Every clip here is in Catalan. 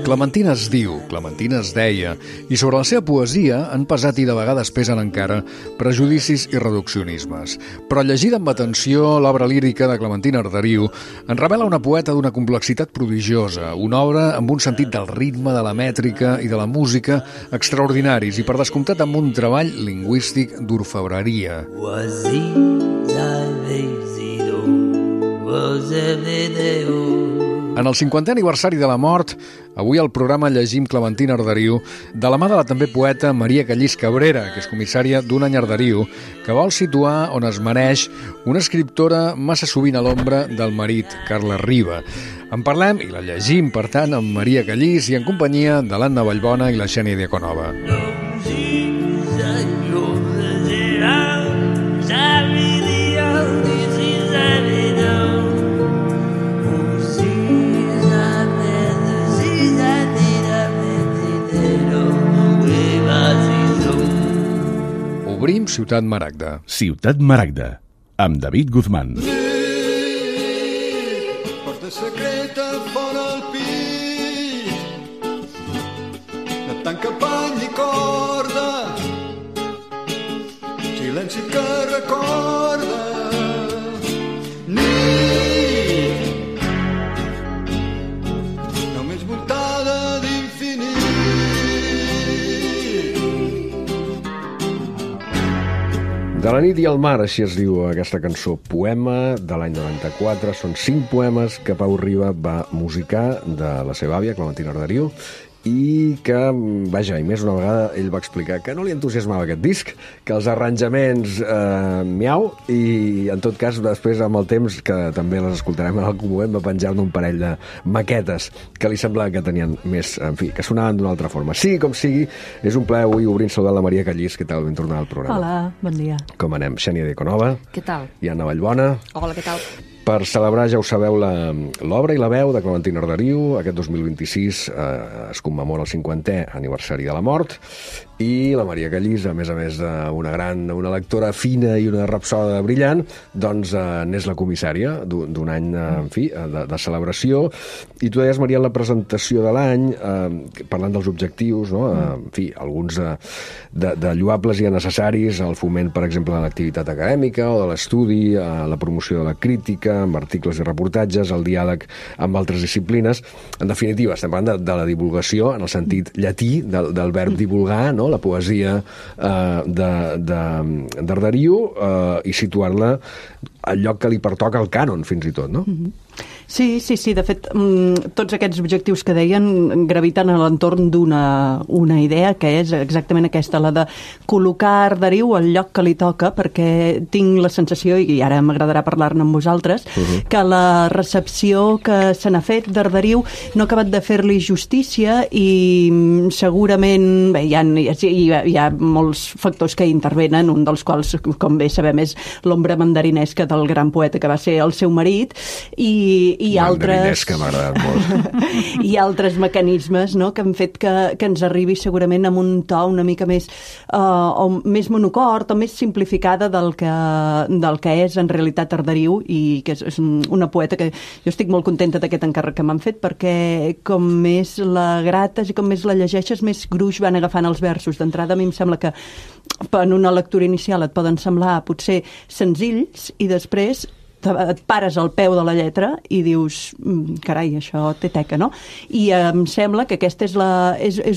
Clementina es diu, Clementina es deia, i sobre la seva poesia han pesat i de vegades pesen encara prejudicis i reduccionismes. Però llegida amb atenció, l'obra lírica de Clementina Arderiu ens revela una poeta d'una complexitat prodigiosa, una obra amb un sentit del ritme, de la mètrica i de la música extraordinaris i per descomptat amb un treball lingüístic d'orfebreria. En el 50è aniversari de la mort, avui al programa llegim Clementina Arderiu de la mà de la també poeta Maria Callís Cabrera, que és comissària d'Un any Arderiu, que vol situar on es mereix una escriptora massa sovint a l'ombra del marit, Carles Riba. En parlem i la llegim, per tant, amb Maria Callís i en companyia de l'Anna Vallbona i la Xènia Diaconova. Obrim Ciutat Maragda. Ciutat Maragda, amb David Guzmán. Porta secreta fora el pit, no tanca pany ni corda, silenci que recorda, nit, només voltada d'infinit. De la nit i el mar, així es diu aquesta cançó, poema de l'any 94. Són 5 poemes que Pau Riba va musicar de la seva àvia, Clementina Arderiu, i que, vaja, i més una vegada ell va explicar que no li entusiasmava aquest disc, que els arranjaments miau, i en tot cas després amb el temps, que també les escoltarem en algun moment, va penjar-ne un parell de maquetes que li semblava que tenien més, en fi, que sonaven d'una altra forma. Sigui com sigui, és un plaer avui obrir saludant la Maria Callís. Què tal? Ben tornada al programa. Hola, bon dia. Com anem? Xènia Diaconova. Què tal? I Anna Vallbona. Hola, què tal? Per celebrar, ja ho sabeu, l'obra i la veu de Clementina Arderiu. Aquest 2026 es commemora el 50è aniversari de la mort, i la Maria Callís, a més una lectora fina i una rapsoda brillant, doncs n'és la comissària d'un any, en fi, de celebració. I tu deies, Maria, en la presentació de l'any, parlant dels objectius, no? En fi, alguns de lloables i necessaris, el foment, per exemple, de l'activitat acadèmica o de l'estudi, la promoció de la crítica, amb articles i reportatges, el diàleg amb altres disciplines. En definitiva, estem parlant de la divulgació en el sentit llatí del verb divulgar, no? La poesia d'Arderiu, i situar-la al lloc que li pertoca al cànon, fins i tot, no? Sí, de fet, tots aquests objectius que deien graviten a l'entorn d'una idea, que és exactament aquesta, la de col·locar Arderiu al lloc que li toca, perquè tinc la sensació, i ara m'agradarà parlar-ne amb vosaltres, que la recepció que se n'ha fet d'Arderiu no ha acabat de fer-li justícia, i segurament hi ha molts factors que intervenen, un dels quals, com bé sabem, és l'ombra mandarinesca del gran poeta que va ser el seu marit, i altres que m'ha agradat molt. i altres mecanismes, no?, que han fet que ens arribi segurament amb un to una mica més o més monocord o més simplificada del que és en realitat Arderiu, i que és una poeta que jo estic molt contenta d'aquest encàrrec que m'han fet, perquè com més la grates i com més la llegeixes, més gruix van agafant els versos. D'entrada, a mi em sembla que en una lectura inicial et poden semblar potser senzills, i després et pares al peu de la lletra i dius, carai, això té teca, no? I em sembla que aquest és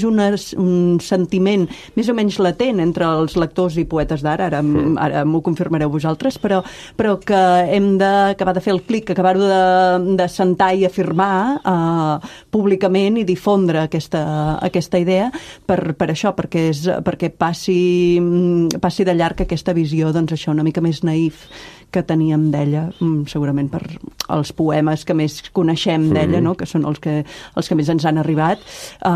un sentiment més o menys latent entre els lectors i poetes d'ara, ara m'ho confirmareu vosaltres, però que hem d'acabar de fer el clic, acabar-ho de sentar i afirmar públicament i difondre aquesta idea per això, perquè passi de llarg aquesta visió, doncs això, una mica més naïf que teníem d'ella, segurament per els poemes que més coneixem d'ella, no?, que són els que més ens han arribat,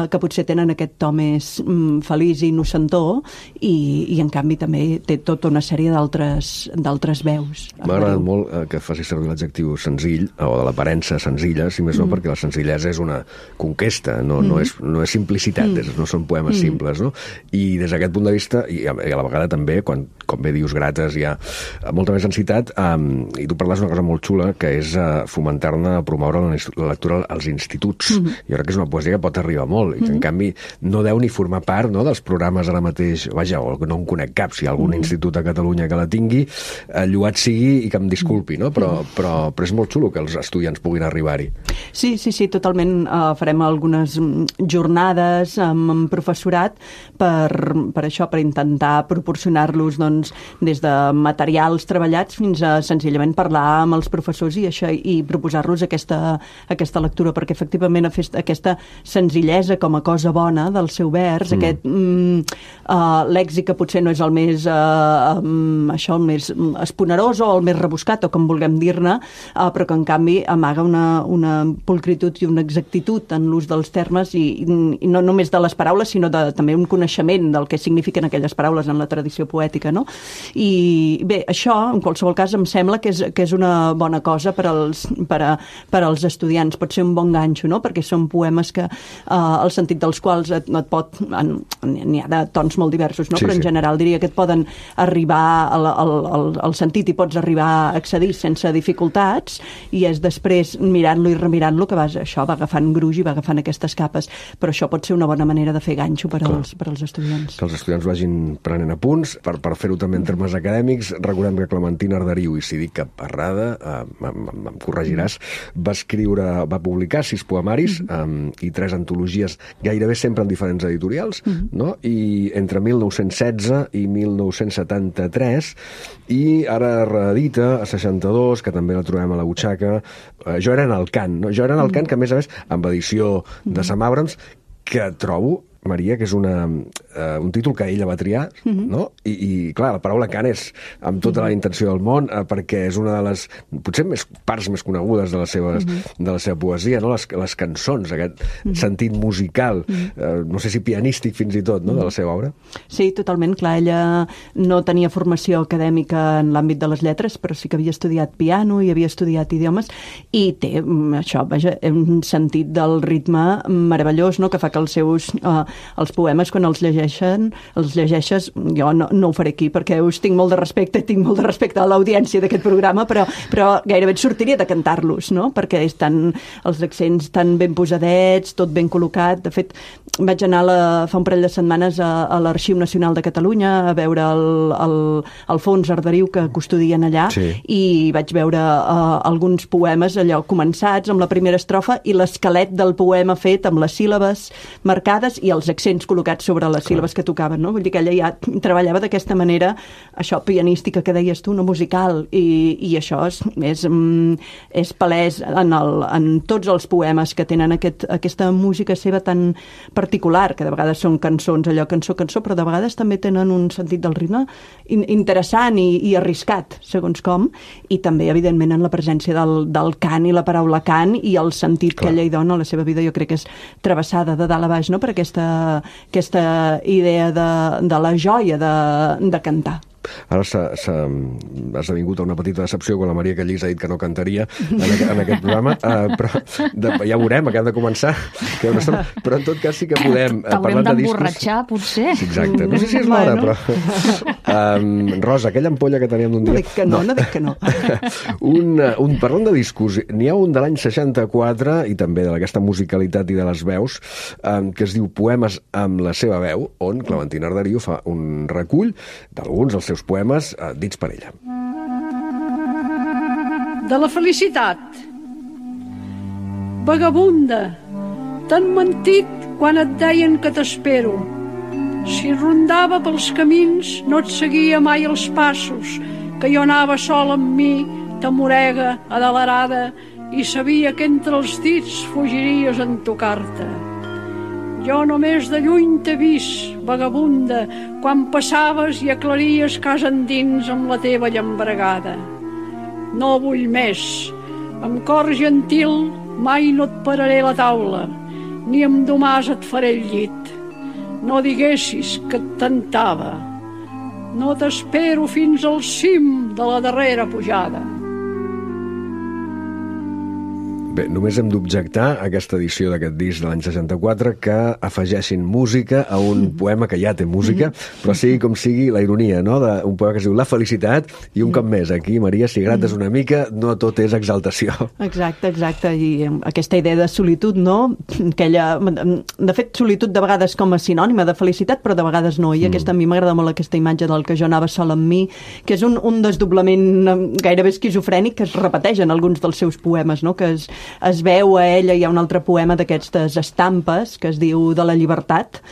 que potser tenen aquest to més feliç i innocentó, i en canvi també té tota una sèrie d'altres veus. M'ha agradat molt que faci servir l'adjectiu senzill, o de l'aparença senzilla, si més no, perquè la senzillesa és una conquesta, no és simplicitat, no són poemes simples, no? I des d'aquest punt de vista, i a la vegada també, com com bé dius, grates, hi ha molta més densitat, i tu parles una cosa molt xula, que és fomentar-ne, promoure la lectura als instituts. Jo crec que és una poesia que pot arribar molt, i que, en canvi, no deu ni formar part, no, dels programes ara mateix, vaja, o no en conec cap, si hi ha algun institut a Catalunya que la tingui, lloat sigui i que em disculpi, no? Però és molt xulo que els estudiants puguin arribar-hi. Sí, totalment. Farem algunes jornades amb professorat per això, per intentar proporcionar-los, doncs, des de materials treballats fins a senzillament parlar amb els professors i proposar-los aquesta lectura, perquè efectivament aquesta senzillesa com a cosa bona del seu vers, aquest lèxic que potser no és el més el més esponerós o el més rebuscat, o com vulguem dir-ne, però que en canvi amaga una pulcritud i una exactitud en l'ús dels termes i no només de les paraules, sinó també un coneixement del que signifiquen aquelles paraules en la tradició poètica, no? I bé, això, en qualsevol cas, em sembla que és una bona cosa per als estudiants. Pot ser un bon ganxo, no? Perquè són poemes que el sentit dels quals et pot... N'hi ha de tons molt diversos, no? Però en general diria que et poden arribar al sentit i pots arribar a accedir sense dificultats, i és després mirant-lo i remirant-lo que va agafant gruix i va agafant aquestes capes. Però això pot ser una bona manera de fer ganxo per als estudiants. Que els estudiants vagin prenent apunts. Per fer-ho també en termes acadèmics, recordem que Clementina Arderiu, i si dic cap errada, em corregiràs, va publicar 6 poemaris i 3 antologies, gairebé sempre en diferents editorials, no? I entre 1916 i 1973, i ara reedita a 62, que també la trobem a la butxaca, Jo era en el cant, no? Jo era en el cant, que a més, amb edició de Sam Abrams, que trobo, Maria, que és un títol que ella va triar, no? I clar, la paraula cant és amb tota la intenció del món, perquè és una de les, potser, parts més conegudes de la seva poesia, no? Les cançons, aquest sentit musical, no sé si pianístic fins i tot, no? De la seva obra. Sí, totalment. Clar, ella no tenia formació acadèmica en l'àmbit de les lletres, però sí que havia estudiat piano i havia estudiat idiomes, i té això, vaja, un sentit del ritme meravellós, no? Que fa que els poemes, quan els llegeixes, jo no ho faré aquí perquè us tinc molt de respecte a l'audiència d'aquest programa, però gairebé et sortiria de cantar-los, no? Perquè els accents tan ben posadets, tot ben col·locat. De fet, vaig anar fa un parell de setmanes a l'Arxiu Nacional de Catalunya a veure el fons Arderiu que custodien allà, i vaig veure alguns poemes allò començats amb la primera estrofa i l'esquelet del poema fet amb les síl·labes marcades i els accents col·locats sobre les síl·labes que tocaven, no? Vull dir que ella ja treballava d'aquesta manera, això pianística que deies tu, no musical, i això és palès en tots els poemes que tenen aquesta música seva tan particular, que de vegades són cançons, allò cançó, però de vegades també tenen un sentit del ritme interessant i arriscat, segons com, i també, evidentment, en la presència del cant i la paraula cant i el sentit que ella hi dona a la seva vida. Jo crec que és travessada de dalt a baix, no?, per aquesta idea de la joia de cantar. Ara s'ha esdevingut una petita decepció quan la Maria Callís ha dit que no cantaria en aquest programa, però ja veurem, acabem de començar, però en tot cas sí que podem t'haurem d'emborratxar, potser. Exacte, no sé si és l'hora, però Rosa, aquella ampolla que teníem d'un dia... No dic que no. Parlant de discos, n'hi ha un de l'any 64 i també d'aquesta musicalitat i de les veus, que es diu Poemes amb la seva veu, on Clementina Arderiu fa un recull d'alguns dels seus poemes dits per ella. De la felicitat. Vagabunda, t'han mentit quan et deien que t'espero. Si rondava pels camins no et seguia mai els passos, que jo anava sol amb mi, tamorega, adelerada, i sabia que entre els dits fugiries en tocar-te. Jo només de lluny t'he vist, vagabunda, quan passaves i aclaries casa endins amb la teva llambregada. No vull més. Amb cor gentil mai no et pararé la taula, ni amb domàs et faré el llit. No diguessis que et tentava. No t'espero fins al cim de la darrera pujada. Bé, només hem d'objectar a aquesta edició d'aquest disc de l'any 64 que afegeixin música a un poema que ja té música, però sigui com sigui la ironia, no?, d'un poema que es diu La felicitat, i un cop més, aquí, Maria, si grates una mica, no tot és exaltació. Exacte, i aquesta idea de solitud, no?, de fet, solitud de vegades com a sinònima de felicitat, però de vegades no, i a mi m'agrada molt aquesta imatge del que jo anava sol amb mi, que és un desdoblament gairebé esquizofrènic que es repeteix en alguns dels seus poemes, no?, que es veu a ella. Hi ha un altre poema d'aquestes estampes que es diu De la llibertat,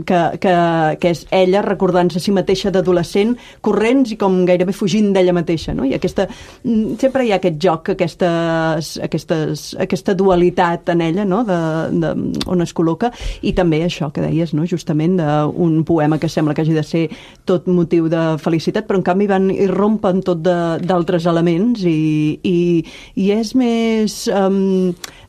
que és ella recordant-se a si mateixa d'adolescent, corrents i com gairebé fugint d'ella mateixa, no? I sempre hi ha aquest joc, aquesta dualitat en ella, no?, on es col·loca, i també això que deies, no?, justament d'un poema que sembla que hagi de ser tot motiu de felicitat, però en canvi irrompen tot d'altres elements i és més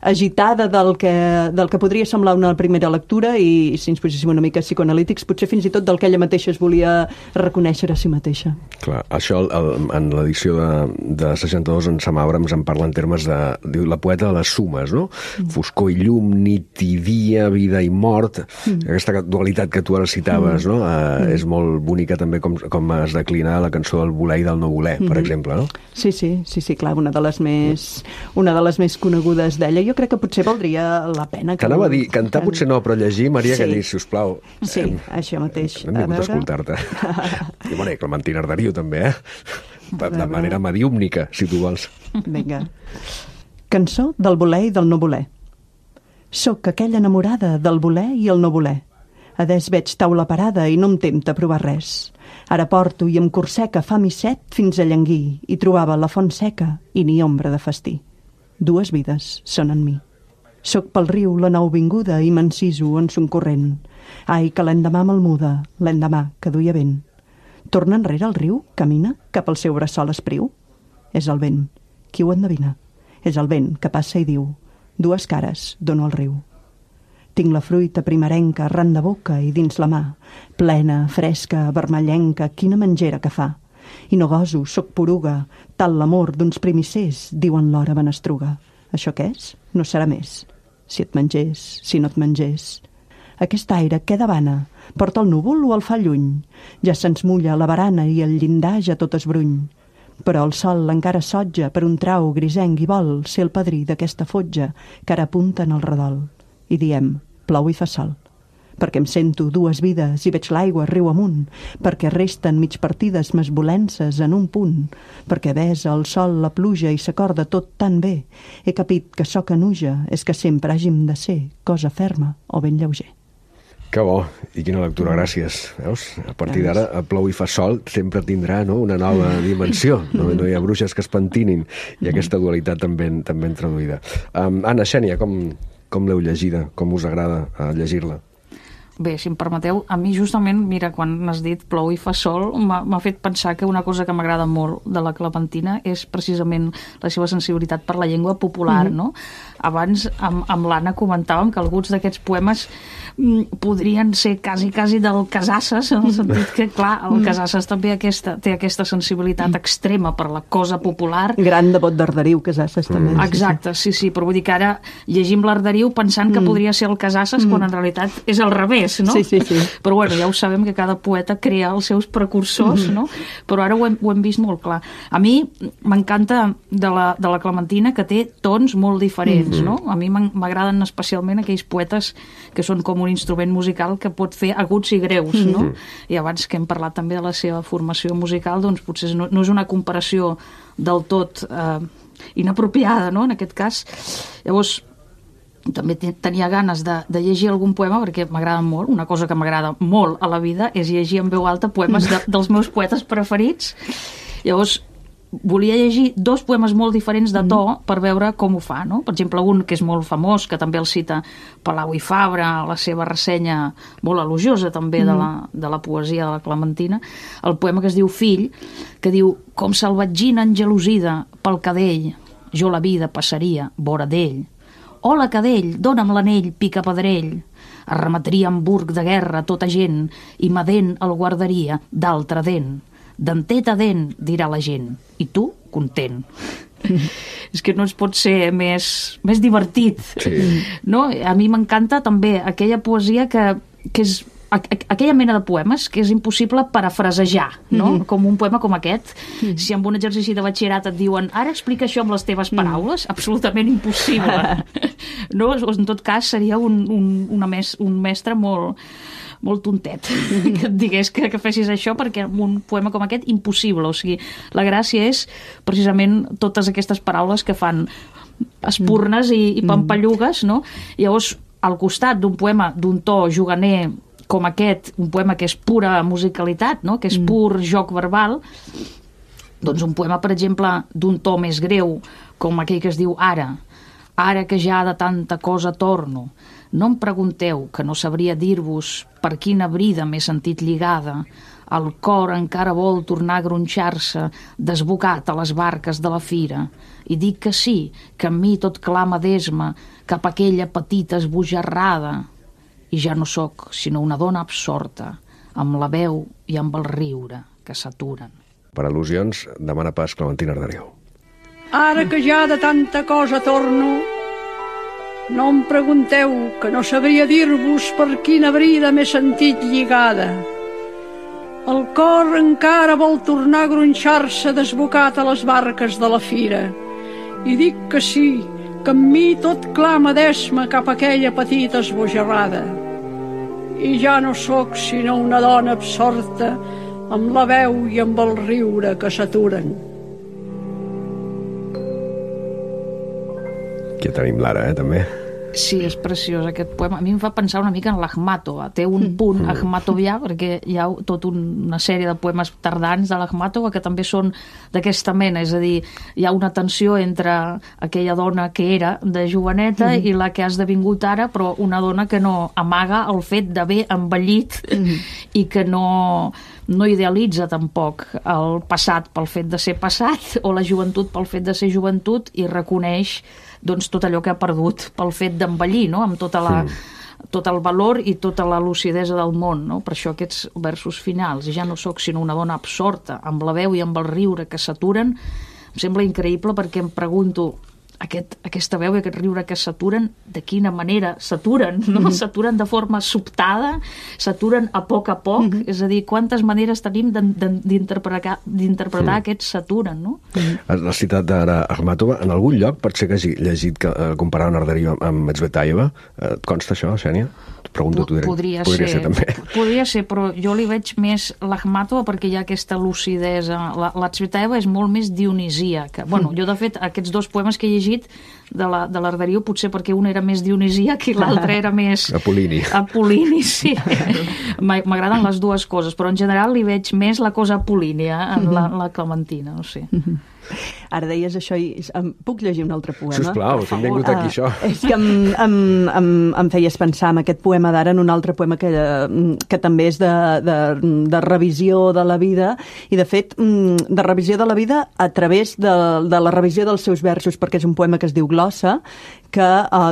agitada del que podria semblar una primera lectura, i si ens poséssim una mica psicoanalítics, potser fins i tot del que ella mateixa es volia reconèixer a si mateixa. Clar, això en l'edició de 62 en Sam Abrams en parla en termes diu la poeta de les sumes, no? Foscor i llum, nit i dia, vida i mort, aquesta dualitat que tu ara citaves, no? És molt bonica també com es declina la cançó del voler i del no voler, per exemple, no? Sí, clar, una de les més conegudes d'ella. Jo crec que potser valdria la pena que... T'anava a dir, cantar potser no, però llegir, Maria, que dir, sisplau. Sí, això mateix. Hem vingut a escoltar-te. I bueno, Clementina Arderiu també, de manera mediúmnica, si tu vols. Vinga. Cançó del voler i del no voler. Soc aquella enamorada del voler i el no voler. Adés veig taula parada i no em tempta provar res. Ara porto i em corseca fam i set fins a llanguir, i trobava la font seca i ni ombra de festí. Dues vides són en mi. Soc pel riu la nouvinguda i m'enciso en son corrent. Ai, que l'endemà me'l muda, l'endemà que duia vent. Torna enrere el riu, camina cap al seu bressol espriu. És el vent, qui ho endevina? És el vent que passa i diu: dues cares dono al riu. Tinc la fruita primerenca arran de boca i dins la mà, plena, fresca, vermellenca, quina menjera que fa. I no goso, soc poruga, tal l'amor d'uns primissers, diuen l'hora benestruga. Això què és? No serà més. Si et mengés, si no et mengés. Aquest aire, què davana? Porta el núvol o el fa lluny? Ja se'ns mulla la barana i el llindar ja tot es bruny. Però el sol encara sotja per un trau grisenc i vol ser el padrí d'aquesta fotja que ara apunta en el redol. I diem: plou i fa sol. Perquè em sento dues vides i veig l'aigua riu amunt, perquè resten mig partides mesvolences en un punt, perquè besa el sol la pluja i s'acorda tot tan bé. He capit que so que nuja és que sempre hàgim de ser cosa ferma o ben lleuger. Que bo, i quina lectura, gràcies. Veus? A partir d'ara, plou i fa sol sempre tindrà, no?, una nova dimensió. No hi ha bruixes que es pentinin, i aquesta dualitat també traduïda. Anna, Xènia, com l'heu llegida? Com us agrada llegir-la? Bé, si em permeteu, a mi justament, mira, quan has dit plou i fa sol, m'ha fet pensar que una cosa que m'agrada molt de la Clementina és precisament la seva sensibilitat per la llengua popular, no? Abans, amb l'Anna comentàvem que alguns d'aquests poemes podrien ser quasi del Casasses, en el sentit que, clar, el Casasses també té aquesta sensibilitat extrema per la cosa popular. Gran devot d'Arderiu, Casasses, també. Exacte, sí, però vull dir que ara llegim l'Arderiu pensant que podria ser el Casasses, quan en realitat és al revés, no? Sí. Però bueno, ja ho sabem que cada poeta crea els seus precursors, no? Però ara ho hem vist molt clar. A mi m'encanta de la Clementina que té tons molt diferents, no? A mi m'agraden especialment aquells poetes que són com un instrument musical que pot fer aguts i greus, no? I abans que hem parlat també de la seva formació musical, doncs potser no és una comparació del tot inapropiada, no?, en aquest cas. Llavors, també tenia ganes de llegir algun poema perquè m'agrada molt. Una cosa que m'agrada molt a la vida és llegir en veu alta poemes dels meus poetes preferits. Llavors, volia llegir dos poemes molt diferents de to per veure com ho fa, no? Per exemple, un que és molt famós, que també el cita Palau i Fabra, la seva ressenya molt elogiosa també de la poesia de la Clementina, el poema que es diu Fill, que diu: com salvatgina engelosida pel cadell, jo la vida passaria vora d'ell. Hola, cadell, dona'm l'anell, pica pedrell. Arremetria amb burg de guerra tota gent i ma dent el guardaria d'altra dent. dentet a dent, dirà la gent, i tu, content. És que no es pot ser més divertit. Sí. No? A mi m'encanta també aquella poesia que és aquella mena de poemes que és impossible parafrasejar, no? Com un poema com aquest. Si amb un exercici de batxillerat et diuen ara explica això amb les teves paraules, absolutament impossible. No? En tot cas seria un mestre molt tontet que et digués que fessis això, perquè un poema com aquest, impossible. O sigui, la gràcia és precisament totes aquestes paraules que fan espurnes i pampallugues, no? Llavors, al costat d'un poema d'un to juganer com aquest, un poema que és pura musicalitat, no? Que és pur joc verbal, doncs un poema, per exemple, d'un to més greu, com aquell que es diu Ara que ja de tanta cosa torno, no em pregunteu, que no sabria dir-vos per quina brida m'he sentit lligada, el cor encara vol tornar a gronxar-se, desbocat a les barques de la fira, i dic que sí, que en mi tot clama d'esma cap a aquella petita esbojarrada, i ja no sóc sinó una dona absorta, amb la veu i amb el riure que s'aturen. Per al·lusions, demana pas Clementina Arderiu. Ara que ja de tanta cosa torno, no em pregunteu, que no sabria dir-vos per quina brida m'he sentit lligada. El cor encara vol tornar a gronxar-se desbocat a les barques de la fira, i dic que sí, que en mi tot clama d'esma cap a aquella petita esbojarrada. I ja no sóc sinó una dona absorta amb la veu i amb el riure que s'aturen. Aquí tenim l'Ara, també. Sí, és preciós aquest poema. A mi em fa pensar una mica en l'Akhmatova. Té un punt akhmatovià, perquè hi ha tota una sèrie de poemes tardans de l'Akhmatova que també són d'aquesta mena, és a dir, hi ha una tensió entre aquella dona que era de joveneta i la que ha esdevingut ara, però una dona que no amaga el fet d'haver envellit i que no idealitza tampoc el passat pel fet de ser passat o la joventut pel fet de ser joventut, i reconeix doncs tot allò que ha perdut pel fet d'envellir, no? Amb tot el valor i tota la lucidesa del món, no? Per això aquests versos finals, ja no sóc sinó una dona absorta, amb la veu i amb el riure que s'aturen, em sembla increïble, perquè em pregunto, aquesta veu i aquest riure que s'aturen, de quina manera s'aturen, no? S'aturen de forma sobtada, s'aturen a poc, és a dir, quantes maneres tenim d'interpretar aquests s'aturen, no? La citat d'Ara Akhmatova, en algun lloc pot ser que hagi llegit que comparaven Arderiu amb Tsvetaeva. Et consta això, Xènia? Pregunto tu direct. Podria ser també. Podria ser, però jo li veig més l'Akhmatova perquè hi ha aquesta lucidesa. La Tsvetaeva és molt més dionisíaca. Bueno, jo, de fet, aquests dos poemes que he llegit de l'Arderiu, potser perquè un era més dionisíac i l'altre era més... Apol·lini, sí. M'agraden les dues coses, però en general li veig més la cosa apol·línia en la Clementina, no sé. Ara deies això i puc llegir un altre poema? Sisplau, hem vingut aquí, això. És que em feies pensar en aquest poema d'ara, en un altre poema que també és de revisió de la vida, i de fet, de revisió de la vida a través de la revisió dels seus versos, perquè és un poema que es diu Glossa, que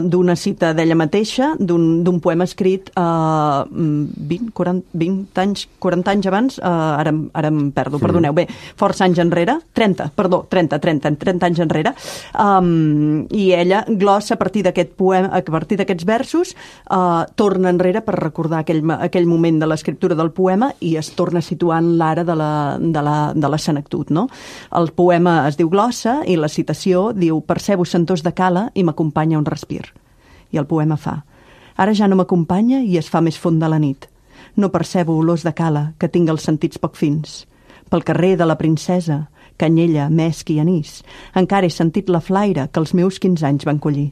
d'una cita d'ella mateixa, d'un poema escrit 40 anys abans, ara em perdo, perdoneu, bé, força anys enrere, 30 anys enrere, i ella glossa a partir d'aquest poema, a partir d'aquests versos, torna enrere per recordar aquell moment de l'escriptura del poema i es torna situant l'ara de la senectut, no? El poema es diu Glossa i la citació diu: percebo sentors de cala i m'acompanya un respir. I el poema fa: ara ja no m'acompanya i es fa més fonda la nit. No percebo olors de cala, que tinc els sentits poc fins. Pel carrer de la princesa, canyella, mesc i anís, encara he sentit la flaire que els meus 15 anys van collir.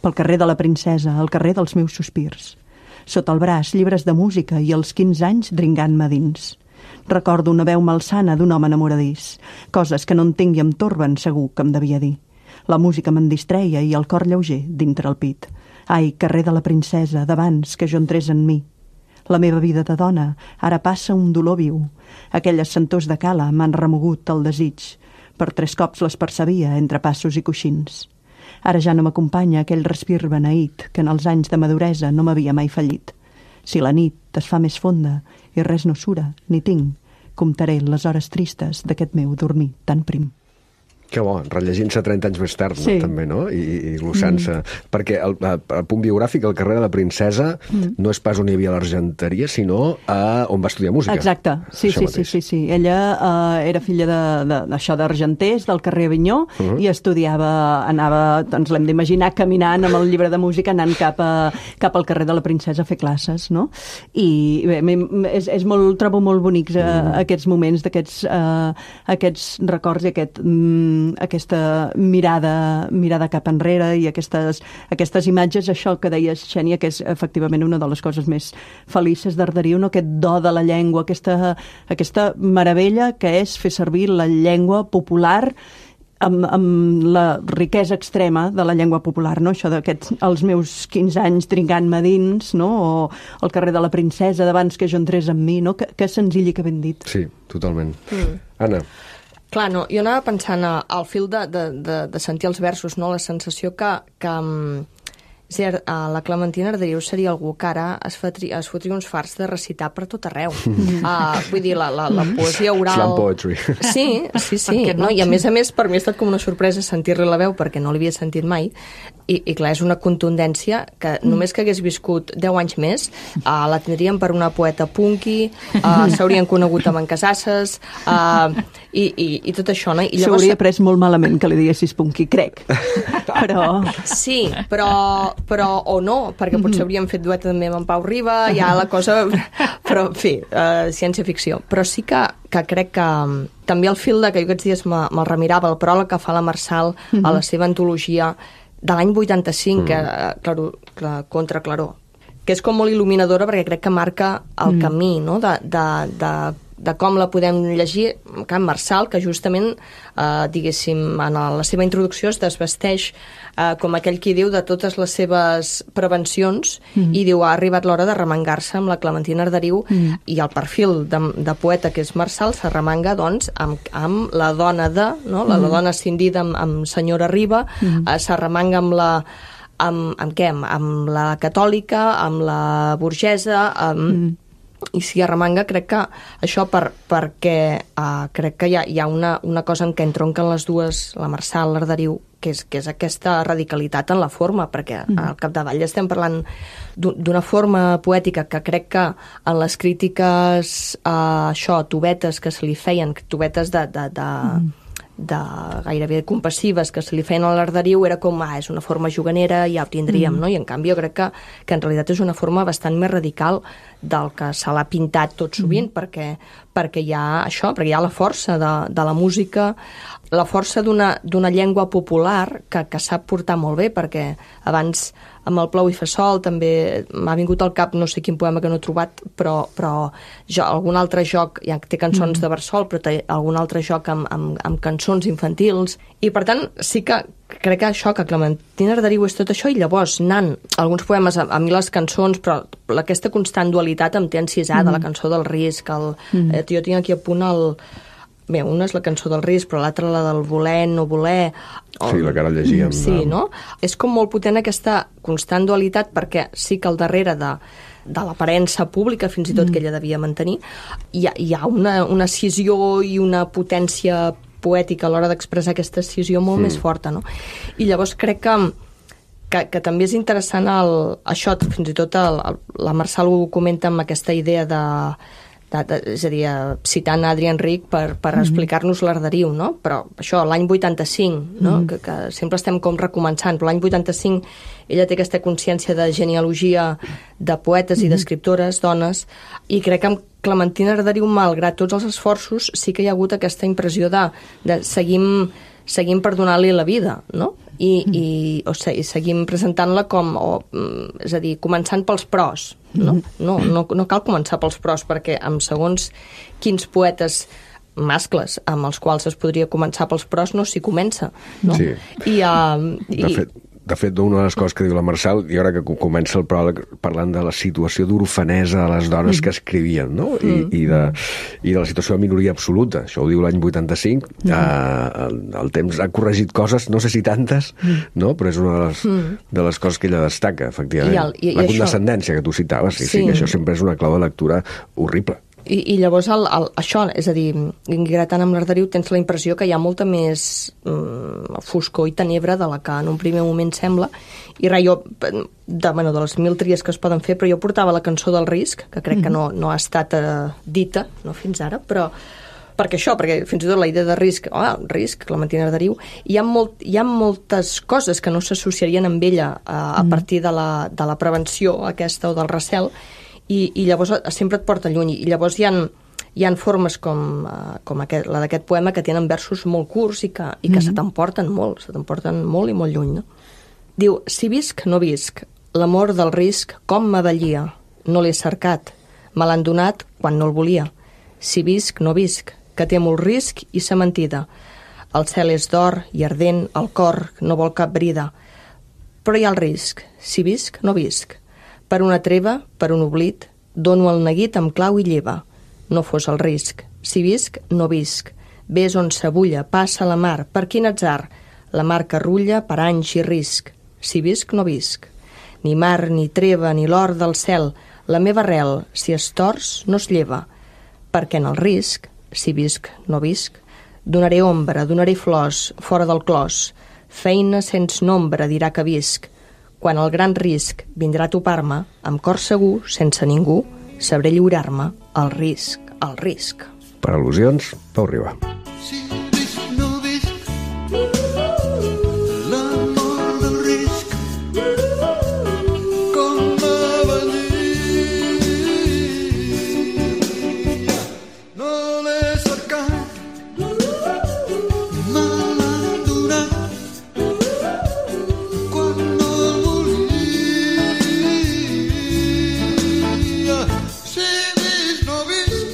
Pel carrer de la princesa, al carrer dels meus sospirs. Sota el braç, llibres de música i els 15 anys dringant-me dins. Recordo una veu malsana d'un home enamoradís. Coses que no entenc i em torben, segur que em devia dir. La música me'n distreia i el cor lleuger dintre el pit. Ai, carrer de la princesa, d'abans que jo entrés en mi. La meva vida de dona ara passa un dolor viu. Aquelles sentors de cala m'han remogut el desig. Per 3 cops les percebia entre passos i coixins. Ara ja no m'acompanya aquell respir beneït que en els anys de maduresa no m'havia mai fallit. Si la nit es fa més fonda i res no sura, ni tinc, comptaré les hores tristes d'aquest meu dormir tan prim. Que bo, rellegint-se 30 anys més tard, Sí. també, no? I glossant-se. Perquè el punt biogràfic, el carrer de la princesa, no és pas on hi havia l'Argenteria, sinó on va estudiar música. Exacte, sí. Ella era filla d'això d'argenters, del carrer Avinyó, i anava, doncs l'hem d'imaginar, caminant amb el llibre de música, anant cap al carrer de la princesa a fer classes, no? I bé, trobo molt bonics aquests moments, aquests records i aquesta mirada cap enrere i aquestes imatges, això que deies, Xènia, que és efectivament una de les coses més felices d'Arderiu, no? Aquest do de la llengua, aquesta meravella que és fer servir la llengua popular amb la riquesa extrema de la llengua popular, no? Això els meus 15 anys trincant-me dins, no? O el carrer de la princesa d'abans que jo entrés amb mi, no? Que senzill i que ben dit. Sí, totalment. Anna. Clar, no, jo anava pensant al fil de sentir els versos, no? La sensació que la Clementina Arderiu seria algú que ara es fotria uns farts de recitar per tot arreu. Vull dir, la poesia oral... Slam poetry. Sí. No? I a més, per mi ha estat com una sorpresa sentir-li la veu, perquè no l'havia sentit mai, i clar, és una contundència que només que hagués viscut 10 anys més, la tindríem per una poeta punky, s'haurien conegut amb en Casasses, i tot això, no? S'ho hauria pres molt malament que li diguessis punky, crec. Però... Sí, però o no, perquè potser hauríem fet duet també amb en Pau Riba, ja la cosa... Però, en fi, ciència-ficció. Però sí que crec que també el fil que jo aquests dies me'l remirava, el pròleg que fa la Marçal a la seva antologia de l'any 85, contra Claror, que és com molt il·luminadora perquè crec que marca el camí, no?, de com la podem llegir. Can Marçal, que justament, diguéssim, en la seva introducció es desvesteix com aquell qui diu de totes les seves prevencions i diu ha arribat l'hora de remengar-se amb la Clementina Arderiu i el perfil de poeta que és Marçal s'arremanga, doncs, amb la dona no? La dona escindida amb senyora Riba, s'arremanga amb la... Amb què? Amb la catòlica, amb la burgesa, i si arremanga, crec que això perquè crec que hi ha una cosa en què entronquen les dues, la Marçal, l'Arderiu, que és aquesta radicalitat en la forma, perquè al capdavall estem parlant d'una forma poètica que crec que en les crítiques, tubetes que se li feien, tubetes de gairebé compassives que se li feien a l'Arderiu, era com, és una forma juganera, ja ho tindríem, no? I en canvi jo crec que en realitat és una forma bastant més radical del que se l'ha pintat tot sovint, perquè hi ha això, perquè hi ha la força de la música, la força d'una llengua popular que sap portar molt bé, perquè abans amb el Plou i fa sol també m'ha vingut al cap no sé quin poema que no he trobat, però algun altre joc, ja té cançons de Versol, però té algun altre joc amb cançons infantils, i per tant sí que crec que això, que Clementina Arderiu és tot això, i llavors anant alguns poemes, a mi les cançons, però aquesta constant dualitat em té encisada, la cançó del risc, jo tinc aquí a punt bé, una és la cançó del risc, però l'altra la del voler, no voler... Sí, la que ara llegíem. Sí, no? És com molt potent aquesta constant dualitat, perquè sí que al darrere de l'aparença pública, fins i tot que ella devia mantenir, hi ha una escissió i una potència poètica a l'hora d'expressar aquesta escissió molt més forta, no? I llavors crec que també és interessant això, fins i tot la Marçal ho comenta amb aquesta idea és a dir, citant Adrià Enric per explicar-nos l'Arderiu, no? Però això, l'any 85, no? Que sempre estem com recomençant, però l'any 85 ella té aquesta consciència de genealogia de poetes i d'escriptores, dones, i crec que amb Clementina Arderiu, malgrat tots els esforços, sí que hi ha hagut aquesta impressió de seguim per donar-li la vida, no? I seguim presentant-la com, és a dir, començant pels pros, no? No cal començar pels pros, perquè amb segons quins poetes mascles amb els quals es podria començar pels pros no s'hi comença, no? Sí. De fet, una de les coses que diu la Marçal, i ara que comença el pròleg parlant de la situació d'orfanesa de les dones que escrivien, no? I de la situació de minoria absoluta. Això ho diu l'any 85. El temps ha corregit coses, no sé si tantes, no? Però és una de les coses que ella destaca, efectivament. La condescendència que tu citaves, sí, que això sempre és una clau de lectura horrible. I llavors això, és a dir, gratant amb l'Arderiu tens la impressió que hi ha molta més foscor i tenebra de la que en un primer moment sembla. I res, jo, de les 1000 tries que es poden fer, però jo portava la cançó del risc, que crec que no ha estat dita, no fins ara, però perquè fins i tot la idea de risc, risc, Clementina Arderiu, hi ha moltes coses que no s'associarien amb ella a partir de la prevenció aquesta o del recel, i llavors sempre et porta lluny. I llavors hi ha formes com la d'aquest poema que tenen versos molt curts i que se t'emporten molt i molt lluny. No? Diu, si visc, no visc, l'amor del risc com m'avellia, no l'he cercat, me l'han donat quan no el volia. Si visc, no visc, que té molt risc i sa mentida. El cel és d'or i ardent, el cor no vol cap brida. Però hi ha el risc, si visc, no visc. Per una treva, per un oblit, dono el neguit amb clau i lleva. No fos el risc. Si visc, no visc. Ves on s'abulla, passa la mar, per quin atzar. La mar que rulla per anys i risc. Si visc, no visc. Ni mar, ni treva, ni l'or del cel. La meva arrel, si es tors, no es lleva. Perquè en el risc, si visc, no visc, donaré ombra, donaré flors, fora del clos. Feina sens nombre dirà que visc. Quan el gran risc vindrà a topar-me, amb cor segur, sense ningú, sabré lliurar-me al risc, al risc. Per al·lusions, Pau Riba. Si visc, no visc, l'amor del risc, com m'avellia. No l'he cercat, me l'han donat, quan no el volia. Si visc, no visc,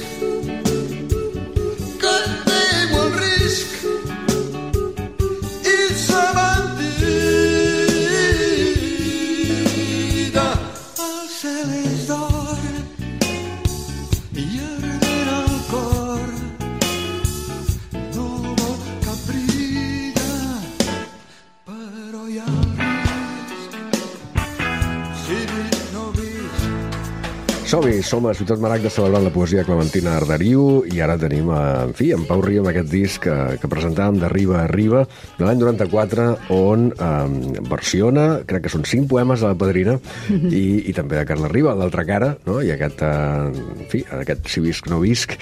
que temo el risc i sa mentida. El cel és d'or i ardent el cor, no vol cap brida, però hi ha el risc. Si visc, no visc. Som-hi, som a Ciutat Maragda celebrant la poesia de Clementina Arderiu i ara tenim, en Pau Riba amb aquest disc que presentàvem de Riba a Riba de l'any 94, on versiona, crec que són 5 poemes de la Padrina i també de Carles Riba, l'altra cara, no? I aquest, aquest Si visc, no visc,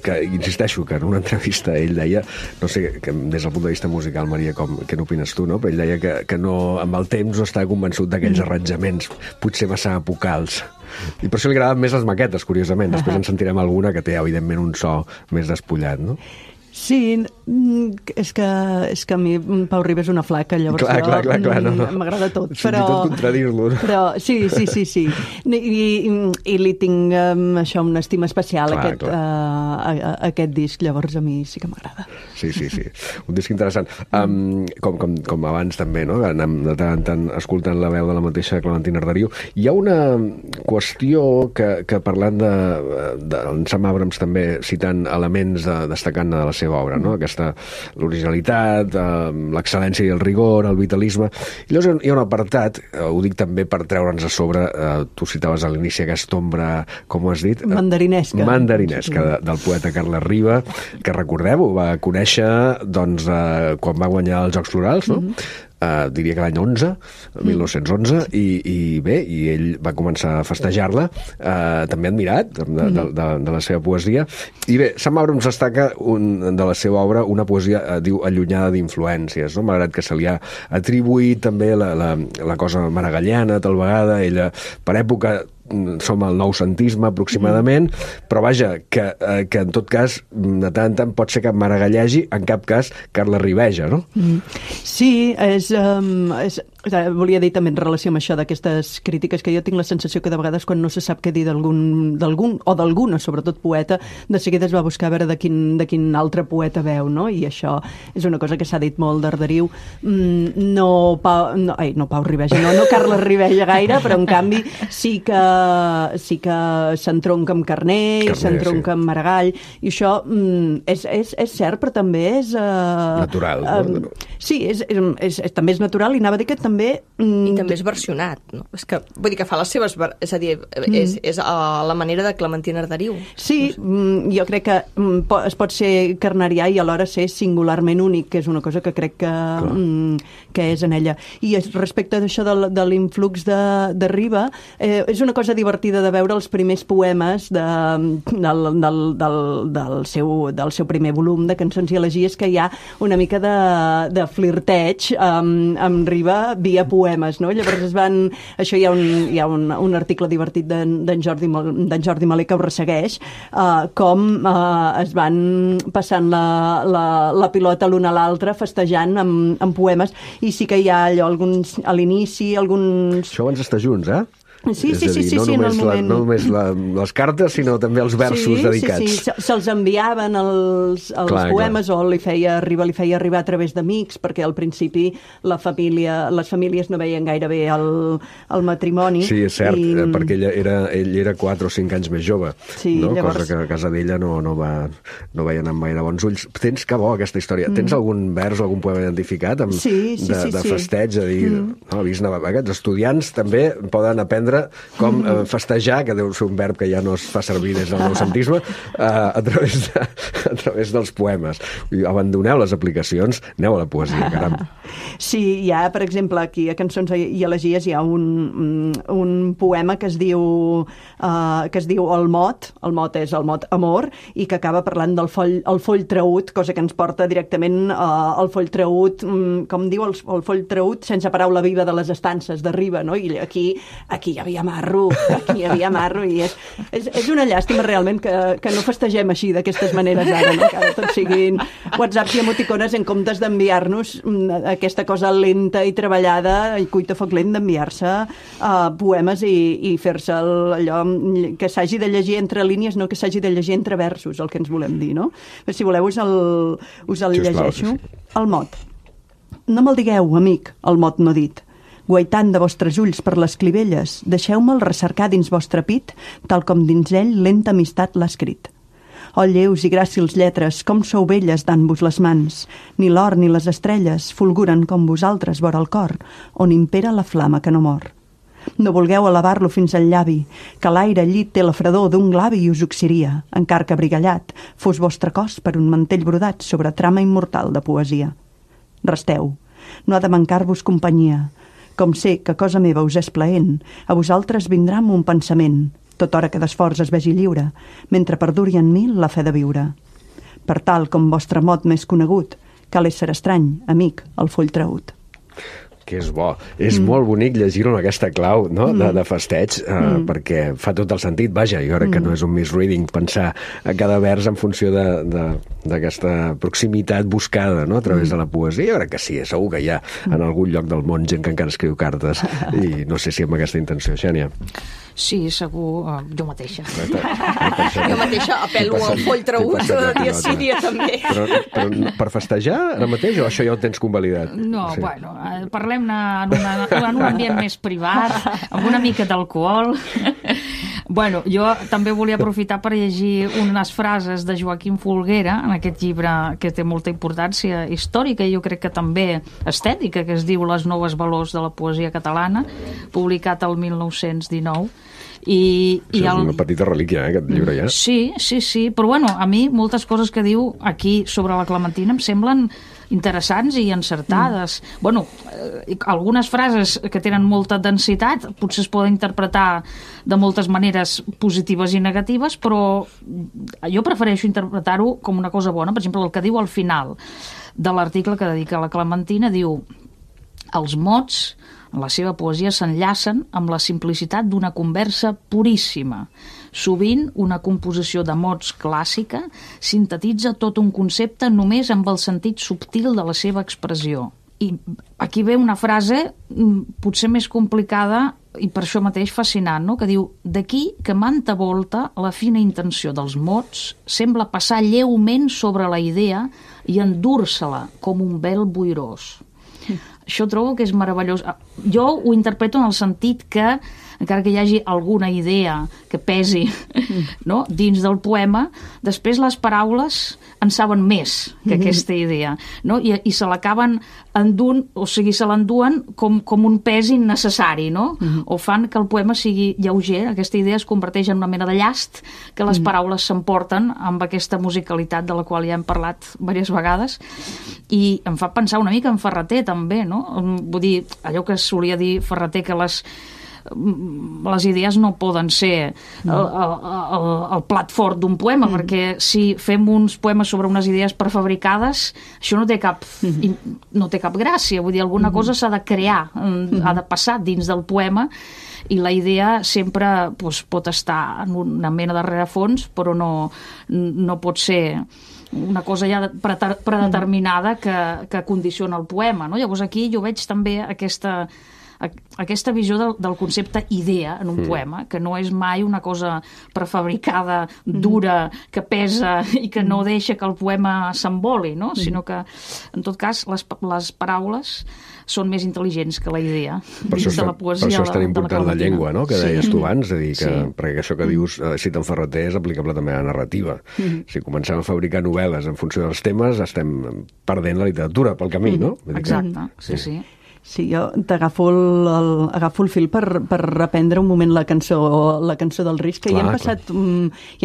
que insisteixo que en una entrevista ell deia, no sé, que des del punt de vista musical, Maria, què n'opines tu, no? Però ell deia que no, amb el temps no estava convençut d'aquells arranjaments, potser massa epocals. I per això li agraden més les maquetes, curiosament. Després en sentirem alguna que té, evidentment, un so més despullat, no? Sí, és que a mi Pau Riba és una flaca, llavors clar, no. M'agrada tot. Fins i tot contradir-lo. Però sí. I li tinc això una estima especial aquest disc, llavors a mi sí que m'agrada. Sí. Un disc interessant. Com abans també, no? Anem de tant en tant escoltant la veu de la mateixa Clementina Arderiu. Hi ha una qüestió que parlant en Sam Abrams també citant elements destacant de la seva obra, no? L'originalitat, l'excel·lència i el rigor, el vitalisme. I llavors hi ha un apartat, ho dic també per treure'ns a sobre, tu citaves a l'inici aquesta ombra, com ho has dit? Mandarinesca, del poeta Carles Riba, que recordem-ho, va conèixer quan va guanyar els Jocs Florals, no? Diria que l'any 1911, i ell va començar a festejar-la, també admirat de la seva poesia. I bé, Sam Abrams destaca de la seva obra una poesia, diu, allunyada d'influències, no? Malgrat que se li ha atribuït també la cosa maragalliana, tal vegada, ella, per època, som al noucentisme aproximadament, però vaja, que en tot cas de tant en tant pot ser que maragallegi, en cap cas Carles Ribeja, no? Sí, volia dir també en relació amb això d'aquestes crítiques, que jo tinc la sensació que de vegades quan no se sap què dir d'algun o d'alguna, sobretot poeta, de seguida es va buscar a veure de quin altre poeta veu, no? I això és una cosa que s'ha dit molt d'Arderiu. No Pau Ribeja, no Carles Ribeja gaire, però en canvi sí que s'entronca amb Carner, s'entronca amb Maragall, i això és cert, però també és... natural, no? Sí, també és natural, i anava a dir que també també... I també és versionat, no? És que, vull dir que fa les seves... És a dir, és la manera de Clementina Arderiu. Sí, jo crec que es pot ser carnerià i alhora ser singularment únic, que és una cosa que crec que és en ella. I respecte d'això de l'influx de Riba, és una cosa divertida de veure els primers poemes del seu primer volum de cançons i elegies, que hi ha una mica de flirteig amb Riba via poemes, no? Llavors això hi ha un article divertit d'en Jordi Malé que ho ressegueix, com es van passant la pilota l'un a l'altre festejant amb poemes, i sí que hi ha allò a l'inici alguns... Això abans d'estar junts, eh? Sí, en el moment. No només les cartes, sinó també els versos dedicats. Sí, se'ls enviaven els poemes, o Riba li feia arribar a través d'amics, perquè al principi les famílies no veien gaire bé el matrimoni. Sí, és cert, perquè ell era 4 o 5 anys més jove, no? Llavors... cosa que a casa d'ella no veien amb gaire bons ulls. Tens, que bo, aquesta història. Tens algun vers o algun poema identificat de festeig, a dir, aquests estudiants també poden aprendre com festejar, que deu ser un verb que ja no es fa servir des del noucentisme, a través dels poemes. Abandoneu les aplicacions, aneu a la poesia, caram. Sí, hi ha, per exemple, aquí a Cançons i Elegies hi ha un poema que es diu El Mot és el mot amor, i que acaba parlant del foll traüt, cosa que ens porta directament al foll traüt, com diu el foll traüt, sense paraula viva de les estances de Riba, no? I aquí hi havia marro, i és una llàstima realment que no festegem així d'aquestes maneres ara, no? Que ara tot siguin whatsapps i emoticones en comptes d'enviar-nos aquesta cosa lenta i treballada i cuita foc lent d'enviar-se poemes i fer-se allò que s'hagi de llegir entre línies, no que s'hagi de llegir entre versos, el que ens volem dir, no? Si voleu us el llegeixo. El Mot. No me'l digueu, amic, el mot no dit. Guaitant de vostres ulls per les clivelles, deixeu-me'l recercar dins vostre pit, tal com dins ell lenta amistat l'ha escrit. Oh, lleus i gràcils lletres, com sou belles dant-vos les mans. Ni l'or ni les estrelles fulguren com vosaltres vora el cor, on impera la flama que no mor. No vulgueu elevar-lo fins al llavi, que l'aire llit té la fredor d'un glavi i us oxiria, encar que brigallat fos vostre cos per un mantell brodat sobre trama immortal de poesia. Resteu, no ha de mancar-vos companyia. Com sé que cosa meva us és plaent, a vosaltres vindrà amb un pensament, tot hora que d'esforç es vegi lliure, mentre perduri en mi la fe de viure. Per tal com vostre mot més conegut, cal ésser estrany, amic, el foll traüt. Que és bo. És molt bonic llegir-ho en aquesta clau, no? de festeig, perquè fa tot el sentit. Vaja, jo crec que no és un misreading pensar a cada vers en funció d'aquesta proximitat buscada, no? A través de la poesia. Jo crec que sí, segur que hi ha en algun lloc del món gent que encara escriu cartes, i no sé si amb aquesta intenció, Xènia. Sí, segur, jo mateixa. Jo mateixa apel·lo al foll traüt dia sí, dia també. Però per festejar ara mateix, o això ja ho tens convalidat? No, bueno, parlem-ne en un ambient més privat, amb una mica d'alcohol. Bueno, jo també volia aprofitar per llegir unes frases de Joaquim Folguera en aquest llibre que té molta importància històrica i jo crec que també estètica, que es diu Les noves valors de la poesia catalana, publicat el 1919. És una petita relíquia, aquest llibre ja. Sí, però bueno, a mi moltes coses que diu aquí sobre la Clementina em semblen interessants i encertades. Bueno, algunes frases que tenen molta densitat potser es poden interpretar de moltes maneres positives i negatives, però jo prefereixo interpretar-ho com una cosa bona. Per exemple, el que diu al final de l'article que dedica a la Clementina, diu: els mots en la seva poesia s'enllacen amb la simplicitat d'una conversa puríssima. Sovint, una composició de mots clàssica sintetitza tot un concepte només amb el sentit subtil de la seva expressió. I aquí ve una frase potser més complicada i per això mateix fascinant, no? Que diu: d'aquí que manta volta la fina intenció dels mots sembla passar lleument sobre la idea i endur-se-la com un vel boirós. Això trobo que és meravellós. Jo ho interpreto en el sentit que encara que hi hagi alguna idea que pesi no? Dins del poema, després les paraules en saben més que aquesta idea, no? I se l'acaben endunt, o sigui, se l'enduen com un pes innecessari, no? O fan que el poema sigui lleuger, aquesta idea es converteix en una mena de llast que les paraules s'emporten amb aquesta musicalitat de la qual ja hem parlat diverses vegades, i em fa pensar una mica en Ferrater també, no? Vull dir, allò que solia dir Ferrater, que les idees no poden ser el plat fort d'un poema, perquè si fem uns poemes sobre unes idees prefabricades, això no té cap gràcia, vull dir, alguna cosa s'ha de crear, ha de passar dins del poema, i la idea sempre pot estar en una mena de rerefons, però no pot ser una cosa ja predeterminada que condiciona el poema, no? Llavors aquí jo veig també aquesta visió del concepte idea en un poema, que no és mai una cosa prefabricada, dura, que pesa i que no deixa que el poema s'emboli, no? Sinó que, en tot cas, les paraules són més intel·ligents que la idea. Per això és tan important la llengua, no?, que deies tu abans, perquè això que dius, cita en Ferrater, és aplicable també a la narrativa. Si comencem a fabricar novel·les en funció dels temes, estem perdent la literatura pel camí, no? Exacte, sí. Sí, jo agafo el fil per reprendre un moment la cançó del Risc, que ja hem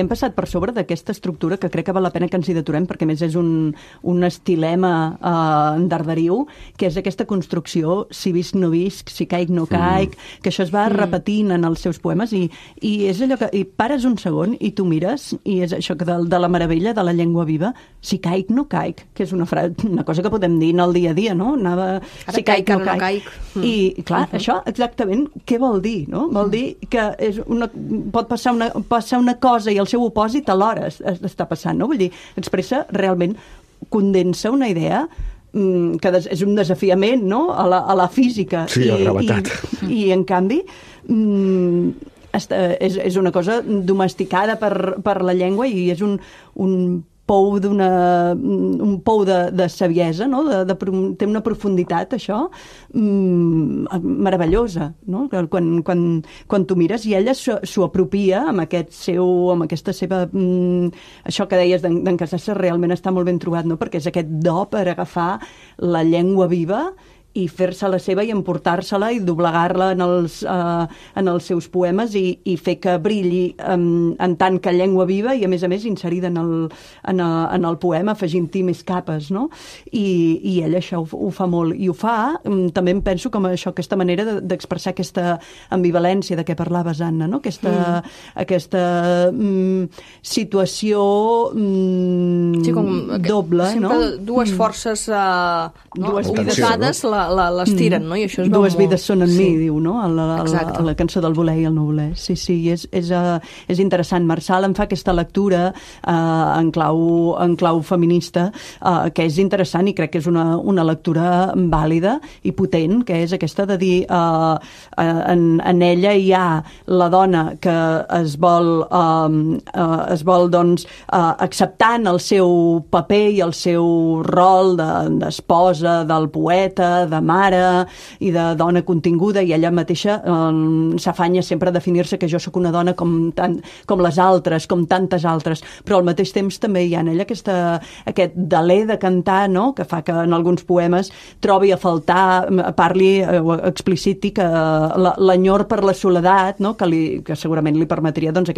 passat per sobre d'aquesta estructura que crec que val la pena que ens hi deturem, perquè més és un estilema d'Arderiu, que és aquesta construcció, si visc no visc, si caic no caic, que això es va repetint en els seus poemes, i és allò que pares un segon i tu mires, i és això que de la meravella de la llengua viva, si caic no caic, que és una cosa que podem dir en el dia a dia, no? Si caic no caic. I, clar, això exactament què vol dir, no? Vol dir que pot passar una cosa i el seu opòsit alhora està passant, no? Vull dir, expressa realment, condensa una idea que és un desafiament, no?, a la física. Sí, a la gravetat. I en canvi, és una cosa domesticada per la llengua, i és un pou de saviesa, no? Té una profunditat, això, meravellosa, no? Quan tu mires, i ella s'ho apropia amb aquesta seva... Això que deies d'en Casassas realment està molt ben trobat, no? Perquè és aquest do per agafar la llengua viva i fer-se-la seva i emportar-se-la i doblegar-la en els seus poemes i fer que brilli en tant que llengua viva i, a més, inserida en el poema, afegint-hi més capes, no? I ell això ho fa molt. I ho fa, també em penso, com aquesta manera d'expressar aquesta ambivalència de què parlaves, Anna, no? Aquesta situació doble, no? Sempre dues forces oposades les tiren, no? I això es veu dues vides són en mi, diu, no? A la cançó del voler i el no voler. Sí, és interessant. Marçal en fa aquesta lectura en clau feminista, que és interessant, i crec que és una lectura vàlida i potent, que és aquesta de dir en ella hi ha la dona que es vol doncs acceptant el seu paper i el seu rol d'esposa del poeta, de mare i de dona continguda, i ella mateixa s'afanya sempre a definir-se que jo sóc una dona com les altres, com tantes altres, però al mateix temps també hi ha en ella aquest deler de cantar, no?, que fa que en alguns poemes trobi a faltar, parli o expliciti que l'enyor per la soledat, no?, que segurament li permetria doncs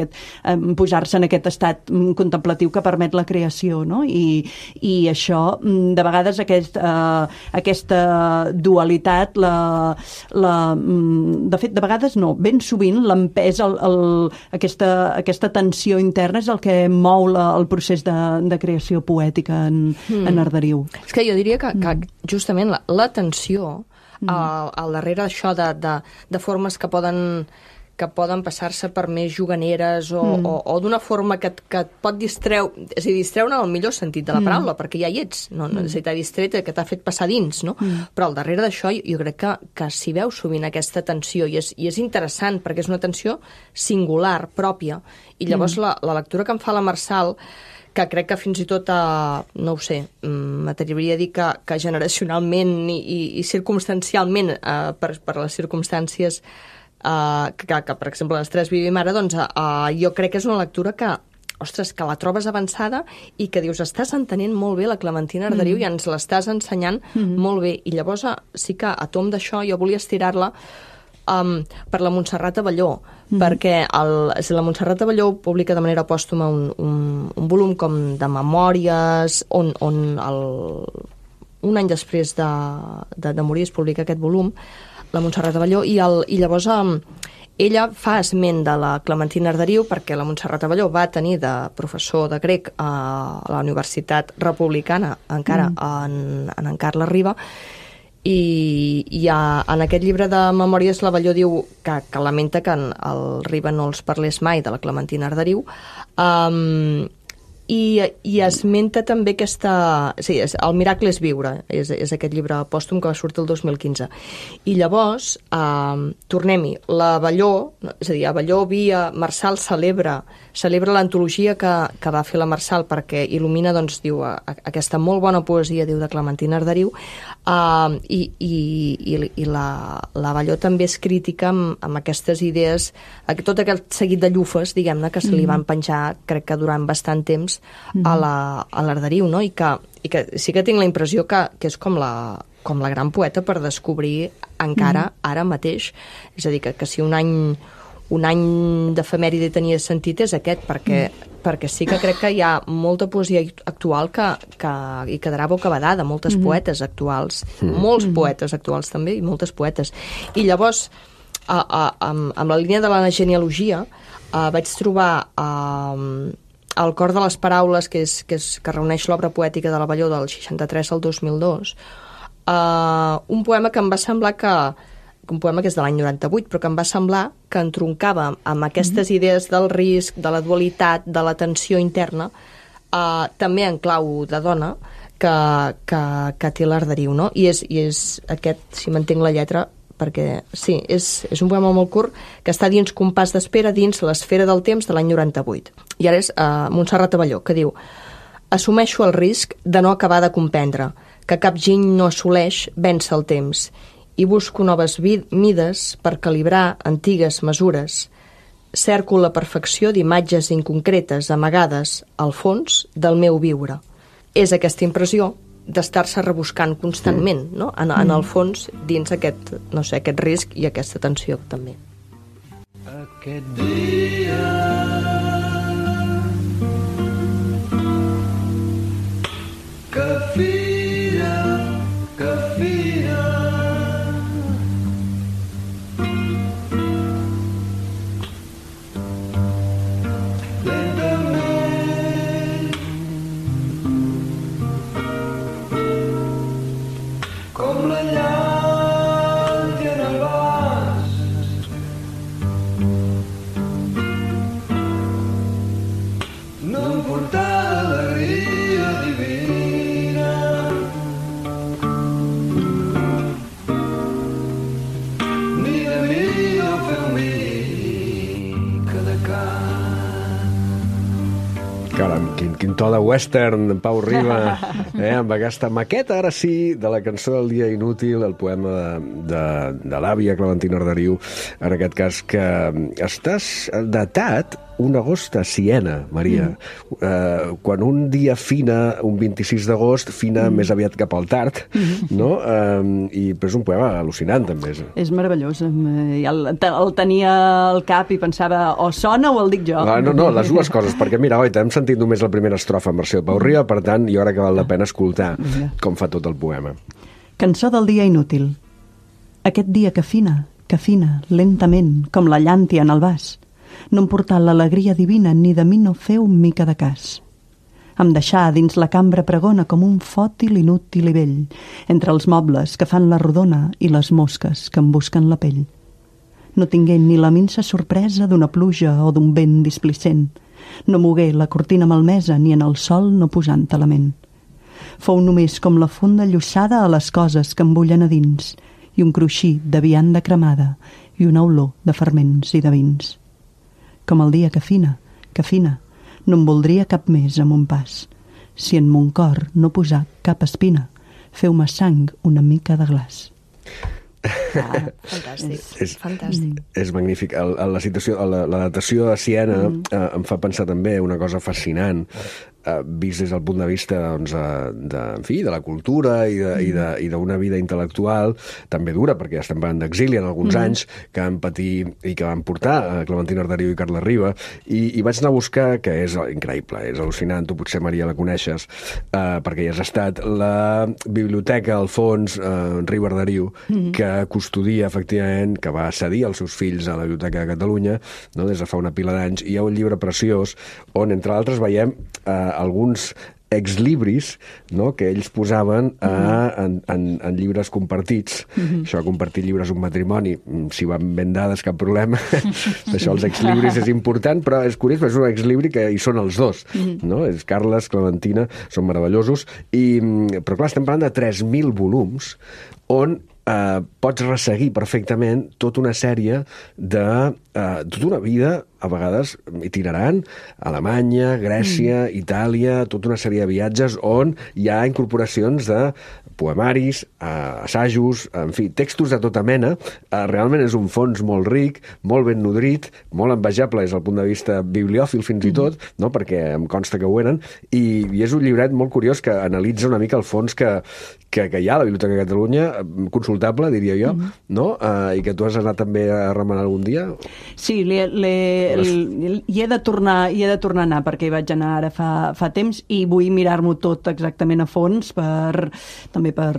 posar-se en aquest estat contemplatiu que permet la creació, no? I això, de vegades, aquesta dualitat, de fet, de vegades no, ben sovint l'empès, aquesta tensió interna és el que mou el procés de creació poètica en Arderiu. És que jo diria que justament la tensió al darrere d'això de formes que poden passar-se per més juganeres o d'una forma que et pot distreure, és a dir, distreure en el millor sentit de la paraula, perquè ja hi ets, no? És a dir, t'ha distret, que t'ha fet passar dins, no? Però al darrere d'això jo crec que s'hi veu sovint aquesta tensió, i és interessant, perquè és una tensió singular, pròpia, i llavors la lectura que em fa la Marçal, que crec que fins i tot, no ho sé, m'atreviria a dir que generacionalment i circumstancialment, per les circumstàncies que per exemple, les tres vivim ara, doncs jo crec que és una lectura que, ostres, que la trobes avançada i que dius, estàs entenent molt bé la Clementina Arderiu i ens l'estàs ensenyant molt bé. I llavors sí que a tom d'això jo volia estirar-la per la Montserrat Abelló, perquè la Montserrat Abelló publica de manera pòstuma un volum com de memòries on un any després de morir es publica aquest volum, la Montserrat Abelló, i llavors ella fa esment de la Clementina Arderiu perquè la Montserrat Abelló va tenir de professor de grec a la Universitat Republicana encara en Carles Riba, i en aquest llibre de memòries l'Abelló diu que lamenta que el Riba no els parlés mai de la Clementina Arderiu, i esmenta també sí, El miracle és viure, és aquest llibre pòstum que va sortir el 2015. I llavors, tornem-hi, l'Abelló, és a dir, Abelló via Marçal celebra l'antologia que va fer la Marçal perquè il·lumina, doncs, diu, aquesta molt bona poesia, diu, de Clementina Arderiu, i l'Abelló també és crítica amb aquestes idees, tot aquest seguit de llufes, diguem-ne, que se li van penjar, crec que durant bastant temps, a l'Arderiu, no? I que sí que tinc la impressió que és com la gran poeta per descobrir encara ara mateix. És a dir, que si un any d'efemèride tenia sentit és aquest, perquè sí que crec que hi ha molta poesia actual que hi quedarà bocabadada, moltes poetes actuals, molts poetes actuals també, i moltes poetes. I llavors, amb la línia de la genealogia, vaig trobar El cor de les paraules, que reuneix l'obra poètica de l'Abelló del 63 al 2002, un poema que em va semblar un poema que és de l'any 98, però que em va semblar que entroncava amb aquestes idees del risc, de la dualitat, de la tensió interna, també en clau de dona, que té l'Arderiu, no? I és aquest, si m'entenc la lletra, perquè sí, és un poema molt curt que està dins compàs d'espera, dins l'esfera del temps de l'any 98. I ara és Montserrat Abelló, que diu: assumeixo el risc de no acabar de comprendre que cap giny no assoleix vèncer el temps i busco noves mides per calibrar antigues mesures. Cerco la perfecció d'imatges inconcretes amagades al fons del meu viure. És aquesta impressió d'estar-se rebuscant constantment, no? En el fons, dins aquest risc i aquesta tensió també. Aquest dia que fira com la llàntia en el vas, no em portarà alegria divina, ni de mi no feu mica de can. Caram, quin to de western, Pau Riba, amb aquesta maqueta, ara sí, de la cançó del dia inútil, el poema de l'àvia Clementina Arderiu, en aquest cas, que estàs datat un agost a Siena, Maria. Quan un dia fina, un 26 d'agost, fina més aviat cap al tard, no? Però és un poema al·lucinant, també. És meravellós. El tenia al cap i pensava, o sona o el dic jo. No, les dues coses, perquè mira, oi, hem sentit només la primera estrofa en versió de Pau Riba, per tant, jo crec que val la pena escoltar com fa tot el poema. Cançó del dia inútil. Aquest dia que fina, lentament, com la llàntia en el vas, no em portà l'alegria divina ni de mi no feu mica de cas. Em deixà dins la cambra pregona com un fòtil inútil i vell, entre els mobles que fan la rodona i les mosques que em busquen la pell. No tingué ni la minsa sorpresa d'una pluja o d'un vent displicent, no mogué la cortina malmesa ni en el sol no posant element. Fou només com la fonda llossada a les coses que em bullen a dins i un cruixir de vianda cremada i una olor de ferments i de vins. Com el dia que fina, no em voldria cap més a mon pas. Si en mon cor no posar cap espina, feu-me sang una mica de glaç. Fantàstic, fantàstic. És magnífic. La situació, l'adaptació a Siena em fa pensar també una cosa fascinant, vist des del punt de vista doncs, de la cultura i d'una vida intel·lectual també dura, perquè estem parlant d'exili en alguns anys, que van patir i que van portar Clementina Arderiu i Carles Riba, i vaig anar a buscar, que és increïble, és al·lucinant, tu potser, Maria, la coneixes, perquè hi has estat, la biblioteca Alfons Riba Arderiu, que custodia, efectivament, que va cedir els seus fills a la Biblioteca de Catalunya, no, des de fa una pila d'anys, i hi ha un llibre preciós on, entre altres, veiem alguns exlibris, no?, que ells posaven en llibres compartits. Això de compartir llibres un matrimoni, si van ben dades, cap problema. Això, els exlibris és important, però és curiós, és un exlibri que hi són els dos, no? És Carles, Clementina, són meravellosos, però clar, estem parlant de 3.000 volums on pots resseguir perfectament tota una sèrie de tota una vida, a vegades itinerant, Alemanya, Grècia, Itàlia, tota una sèrie de viatges on hi ha incorporacions de poemaris, assajos, en fi, textos de tota mena. Realment és un fons molt ric, molt ben nodrit, molt envejable des del punt de vista bibliòfil fins i tot, no? Perquè em consta que ho eren, i és un llibret molt curiós que analitza una mica el fons que hi ha a la Biblioteca de Catalunya, consultable, diria jo, no? I que tu has anat també a remenar algun dia? Sí, hi he de tornar a anar, perquè hi vaig anar ara fa temps, i vull mirar-m'ho tot exactament a fons també per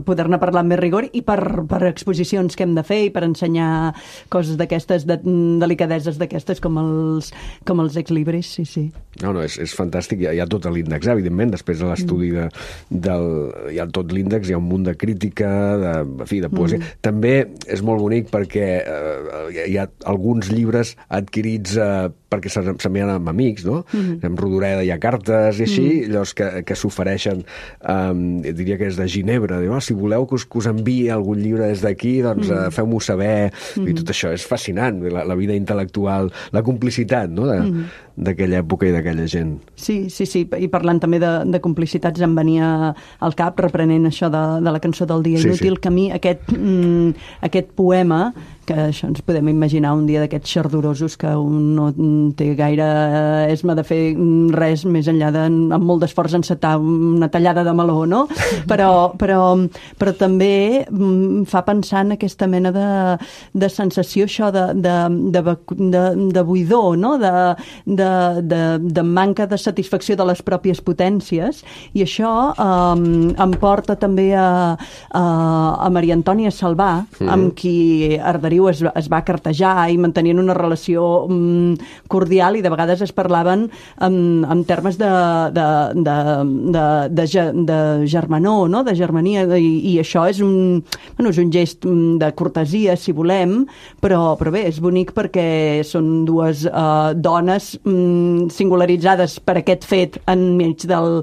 poder-ne parlar amb més rigor i per exposicions que hem de fer i per ensenyar coses d'aquestes, delicadeses d'aquestes com els exlibris, sí. No, és fantàstic. Hi ha tot l'índex, evidentment, després de l'estudi hi ha tot l'índex, hi ha un munt de crítica, de poesia. També és molt bonic perquè hi ha alguns llibres adquirits perquè s'envien amb amics, no? Amb Rodoreda hi ha cartes i així, llavors que s'ofereixen, diria que és de Ginebra, diu, si voleu que us enviï algun llibre des d'aquí, doncs feu-m'ho saber, i tot això és fascinant, la vida intel·lectual, la complicitat, no?, d'aquella època i d'aquella gent. Sí, i parlant també de complicitats em venia al cap, reprenent això de la cançó del dia inútil, que a mi aquest poema, que això ens podem imaginar un dia d'aquests xardorosos que un no té gaire esma de fer res més enllà amb molt d'esforç encetar una tallada de meló, no? Però també fa pensar en aquesta mena de sensació, això de buidor, no? De manca de satisfacció de les pròpies potències, i això em porta també a Maria Antònia Salvà, amb qui Arderiu es va cartejar i mantenien una relació cordial, i de vegades es parlaven en termes de germanor, no? De germania, i això és un gest de cortesia, si volem, però bé, és bonic perquè són dues dones singularitzades per aquest fet enmig del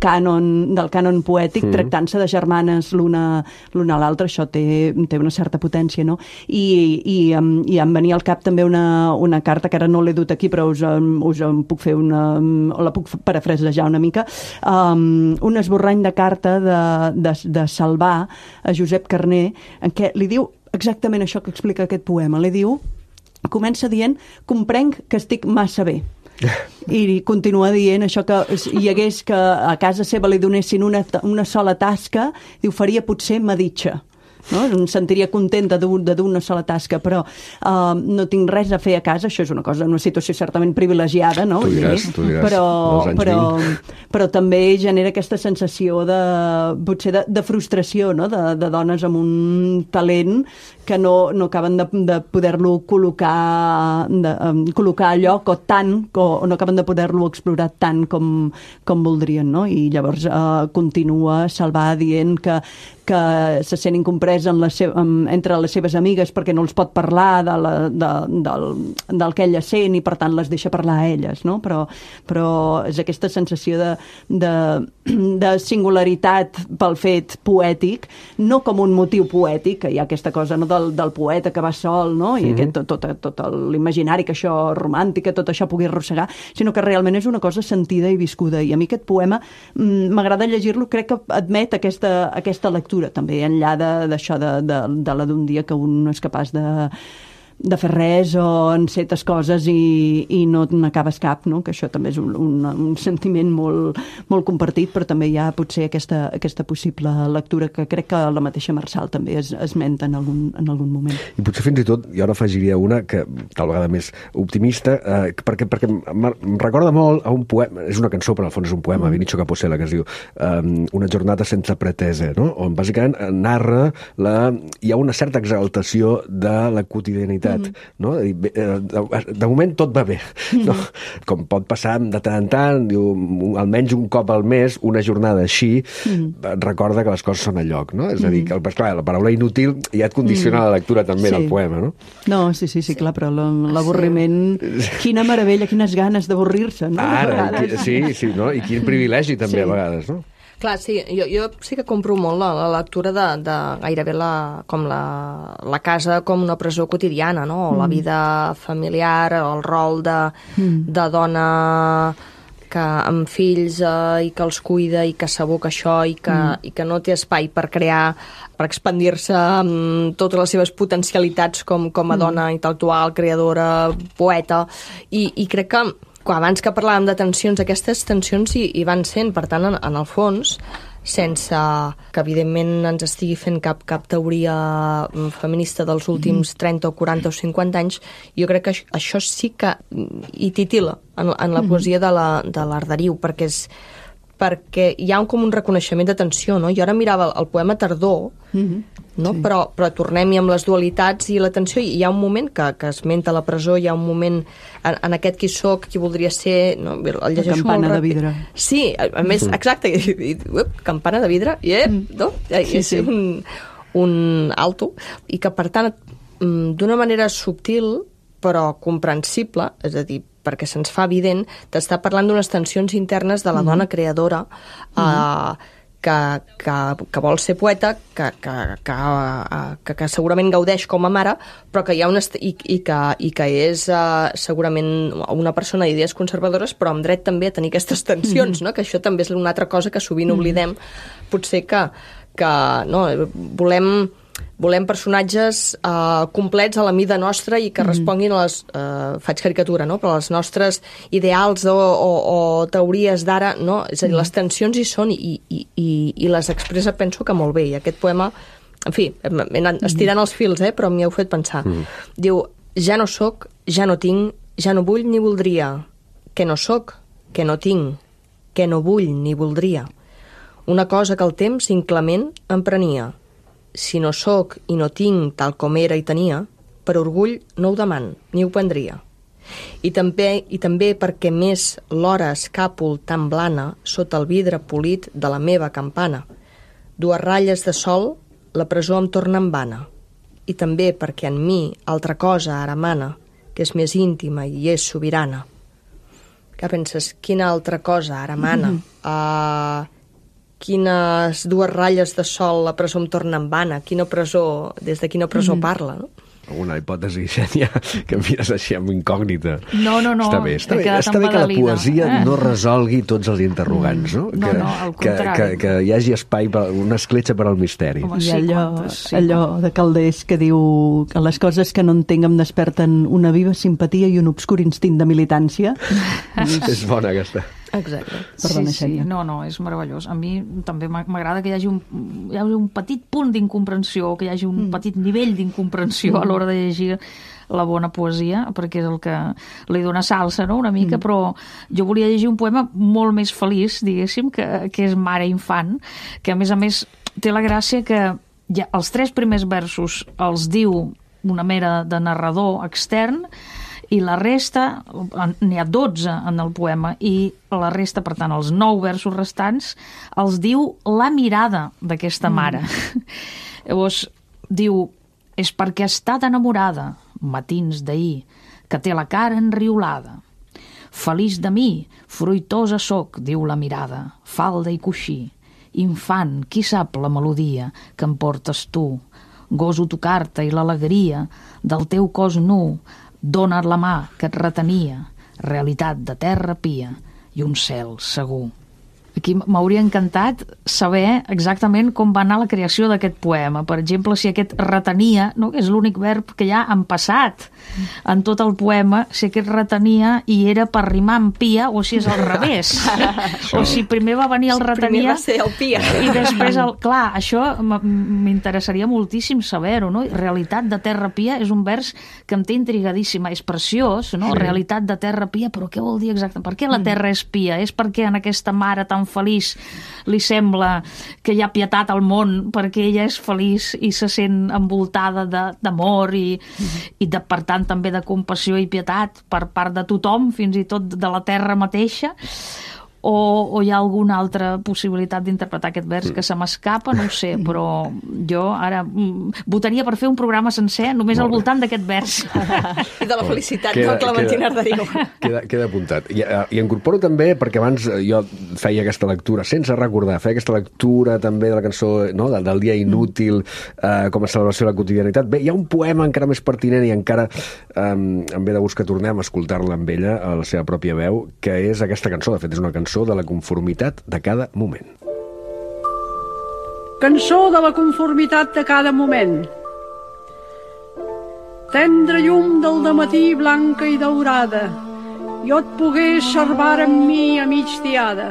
cànon poètic, tractant-se de germanes l'una a l'altra. Això té una certa potència, no? I em venia al cap també una carta que ara no l'he dut aquí, però us en puc fer la puc parafrasejar una mica, un esborrany de carta de Salvà a Josep Carner, en què li diu exactament això que explica aquest poema. Li diu, comença dient, comprenc que estic massa bé. I continua dient això, que hi hagués que a casa seva li donessin una sola tasca, diu, faria potser meditja. No? Em sentiria contenta de dur una sola tasca, però no tinc res a fer a casa. Això és una situació certament privilegiada, no? Tu diràs, però també genera aquesta sensació potser de frustració, no? De dones amb un talent que no acaben de poder-lo col·locar a lloc, o no acaben de poder-lo explorar tant com voldrien, no? I llavors continua Salvà dient que se sent incomprès entre les seves amigues perquè no els pot parlar del que ella sent, i per tant les deixa parlar a elles, no? Però és aquesta sensació de singularitat pel fet poètic, no com un motiu poètic, que hi ha aquesta cosa, no, del poeta que va sol, no? I tot l'imaginari, que això romàntica, tot això pugui arrossegar, sinó que realment és una cosa sentida i viscuda. I a mi aquest poema m'agrada llegir-lo, crec que admet aquesta lectura lectura, també enllà d'això de la d'un dia que un no és capaç de fer res o encetes coses i no n'acabes cap, no? Que això també és un sentiment molt, molt compartit, però també hi ha potser aquesta possible lectura que crec que la mateixa Marçal també esmenta en algun moment. I potser fins i tot, jo ara afegiria una que tal vegada més optimista, perquè em recorda molt a un poema, és una cançó, però al fons és un poema, Vinicio Capossela, que es diu Una jornada sense pretesa, no? On bàsicament narra hi ha una certa exaltació de la quotidianitat, no? De moment tot va bé, no? Com pot passar de tant en tant, diu, almenys un cop al mes, una jornada així, recorda que les coses són a lloc, no? És a dir, que clar, la paraula inútil ja et condiciona la lectura també del poema, no? No, sí, clar, però l'avorriment, quina meravella, quines ganes d'avorrir-se, no? Ara, sí, no? I quin privilegi també a vegades, no? Clar, sí, jo sí que compro molt la lectura de gairebé com la casa com una presó quotidiana, no? O la vida familiar, el rol de dona amb fills i que els cuida i que s'aboca això i que no té espai per crear, per expandir-se amb totes les seves potencialitats com a dona intel·lectual, creadora, poeta, i crec que abans que parlàvem de tensions, aquestes tensions hi van sent, per tant, en el fons, sense que evidentment ens estigui fent cap teoria feminista dels últims 30 o 40 o 50 anys, jo crec que això sí que hi titila en la poesia de l'Arderiu, perquè hi ha com un reconeixement de tensió, no? Jo ara mirava el poema Tardor, no? Sí. Però tornem-hi amb les dualitats i la tensió, i hi ha un moment que esmenta la presó, hi ha un moment en aquest qui soc, qui voldria ser, no? El llegeixo campana molt de vidre. Sí, a més, exacte, campana de vidre, no? És un alto, i que per tant, d'una manera subtil però comprensible, és a dir, perquè se'ns fa evident, t'està parlant d'unes tensions internes de la dona creadora que vol ser poeta, que segurament gaudeix com a mare, però que hi ha i que és segurament una persona d'idees conservadores, però amb dret també a tenir aquestes tensions, no? Que això també és una altra cosa que sovint oblidem, potser que no, volem personatges complets a la mida nostra i que responguin a les... faig caricatura, no? Però les nostres ideals o teories d'ara, no? És a dir, les tensions hi són i les expressa, penso que molt bé. I aquest poema, en fi, m'he anat estirant els fils, però m'hi heu fet pensar. Diu, ja no sóc, ja no tinc, ja no vull ni voldria. Que no sóc, que no tinc, que no vull ni voldria. Una cosa que el temps inclement em prenia. Si no sóc i no tinc tal com era i tenia, per orgull no ho deman, ni ho prendria. I també perquè més l'hora escàpol tan blana sota el vidre polit de la meva campana. 2 ratlles de sol, la presó em torna en vana. I també perquè en mi altra cosa ara mana, que és més íntima i és sobirana. Què penses? Quina altra cosa ara mana? Quines 2 ratlles de sol la presó em torna en vana, des de quina presó parla, no? Una hipòtesi, Xènia, que em mires així amb incògnita. No. Està bé que la poesia no resolgui tots els interrogants, no? No, al contrari. Que hi hagi espai, una escletxa per al misteri. I allò de Calders que diu que les coses que no entenc em desperten una viva simpatia i un obscur instint de militància. És bona, aquesta. Exacte. Perdona, sí. No, és meravellós. A mi també m'agrada que hi hagi un petit punt d'incomprensió, que hi hagi un petit nivell d'incomprensió a l'hora de llegir la bona poesia, perquè és el que li dona salsa, no?, una mica, però jo volia llegir un poema molt més feliç, diguéssim, que és Mare infant, que a més té la gràcia que ja els 3 primers versos els diu una mera de narrador extern, i la resta, n'hi ha 12 en el poema, i la resta, per tant, els 9 versos restants, els diu la mirada d'aquesta mare. Llavors, diu, és perquè ha estat enamorada, matins d'ahir, que té la cara enriolada. Feliç de mi, fruitosa soc, diu la mirada, falda i coixí. Infant, qui sap la melodia que em portes tu? Goso tocar-te i l'alegria del teu cos nu, donar la mà que et retenia, realitat de terra pia i un cel segur. Aquí m'hauria encantat saber exactament com va anar la creació d'aquest poema. Per exemple, si aquest retenia, no? Que és l'únic verb que hi ha en passat en tot el poema, si aquest retenia i era per rimar amb pia o si és al revés. O si primer va venir el retenia... Primer va ser el pia. I després, clar, això m'interessaria moltíssim saber-ho, no? Realitat de terra pia és un vers que em té intrigadíssima. És preciós, no? Sí. Realitat de terra pia, però què vol dir exactament? Per què la terra és pia? És perquè en aquesta mare tan feliç li sembla que hi ha pietat al món perquè ella és feliç i se sent envoltada d'amor i per tant també de compassió i pietat per part de tothom, fins i tot de la terra mateixa, o hi ha alguna altra possibilitat d'interpretar aquest vers que se m'escapa, no ho sé, però jo ara votaria per fer un programa sencer només al voltant d'aquest vers. I de la felicitat del Clementina Arderiu. Queda apuntat. I incorporo també, perquè abans jo feia aquesta lectura, sense recordar, feia aquesta lectura també de la cançó, no? del dia inútil, com a celebració de la quotidianitat. Bé, hi ha un poema encara més pertinent i encara em ve de gust que tornem a escoltar-la amb ella, a la seva pròpia veu, que és aquesta cançó. De fet, és una cançó de la conformitat de cada moment. Cançó de la conformitat de cada moment. Tendre llum del dematí blanca i daurada, jo et pogués servar amb mi a migdiada.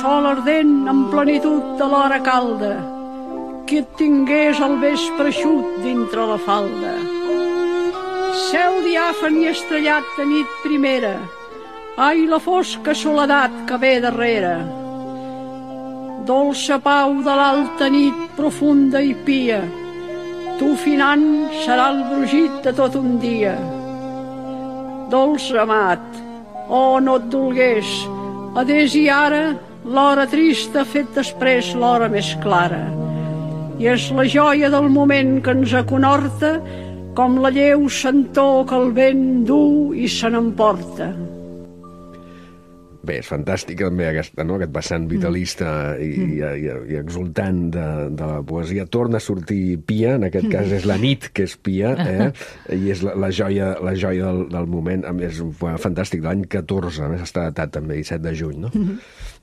Sol ardent en plenitud de l'hora calda, que et tingués el vespre eixut dintre la falda. Cel diàfan i estrellat de nit primera, ai, la fosca soledat que ve darrere. Dolça pau de l'alta nit profunda i pia, tu finant serà el brugit de tot un dia. Dolç amat, oh, no et dolgués, adés i ara l'hora trista ha fet després l'hora més clara. I és la joia del moment que ens aconhorta, com la lleu sentor que el vent du i se n'emporta. Bé, és fantàstic també aquest vessant vitalista i exultant de la poesia. Torna a sortir pia, en aquest cas és la nit que és pia, i és la joia del moment. És un poema fantàstic de l'any 14, a més està datat també 17 de juny, no?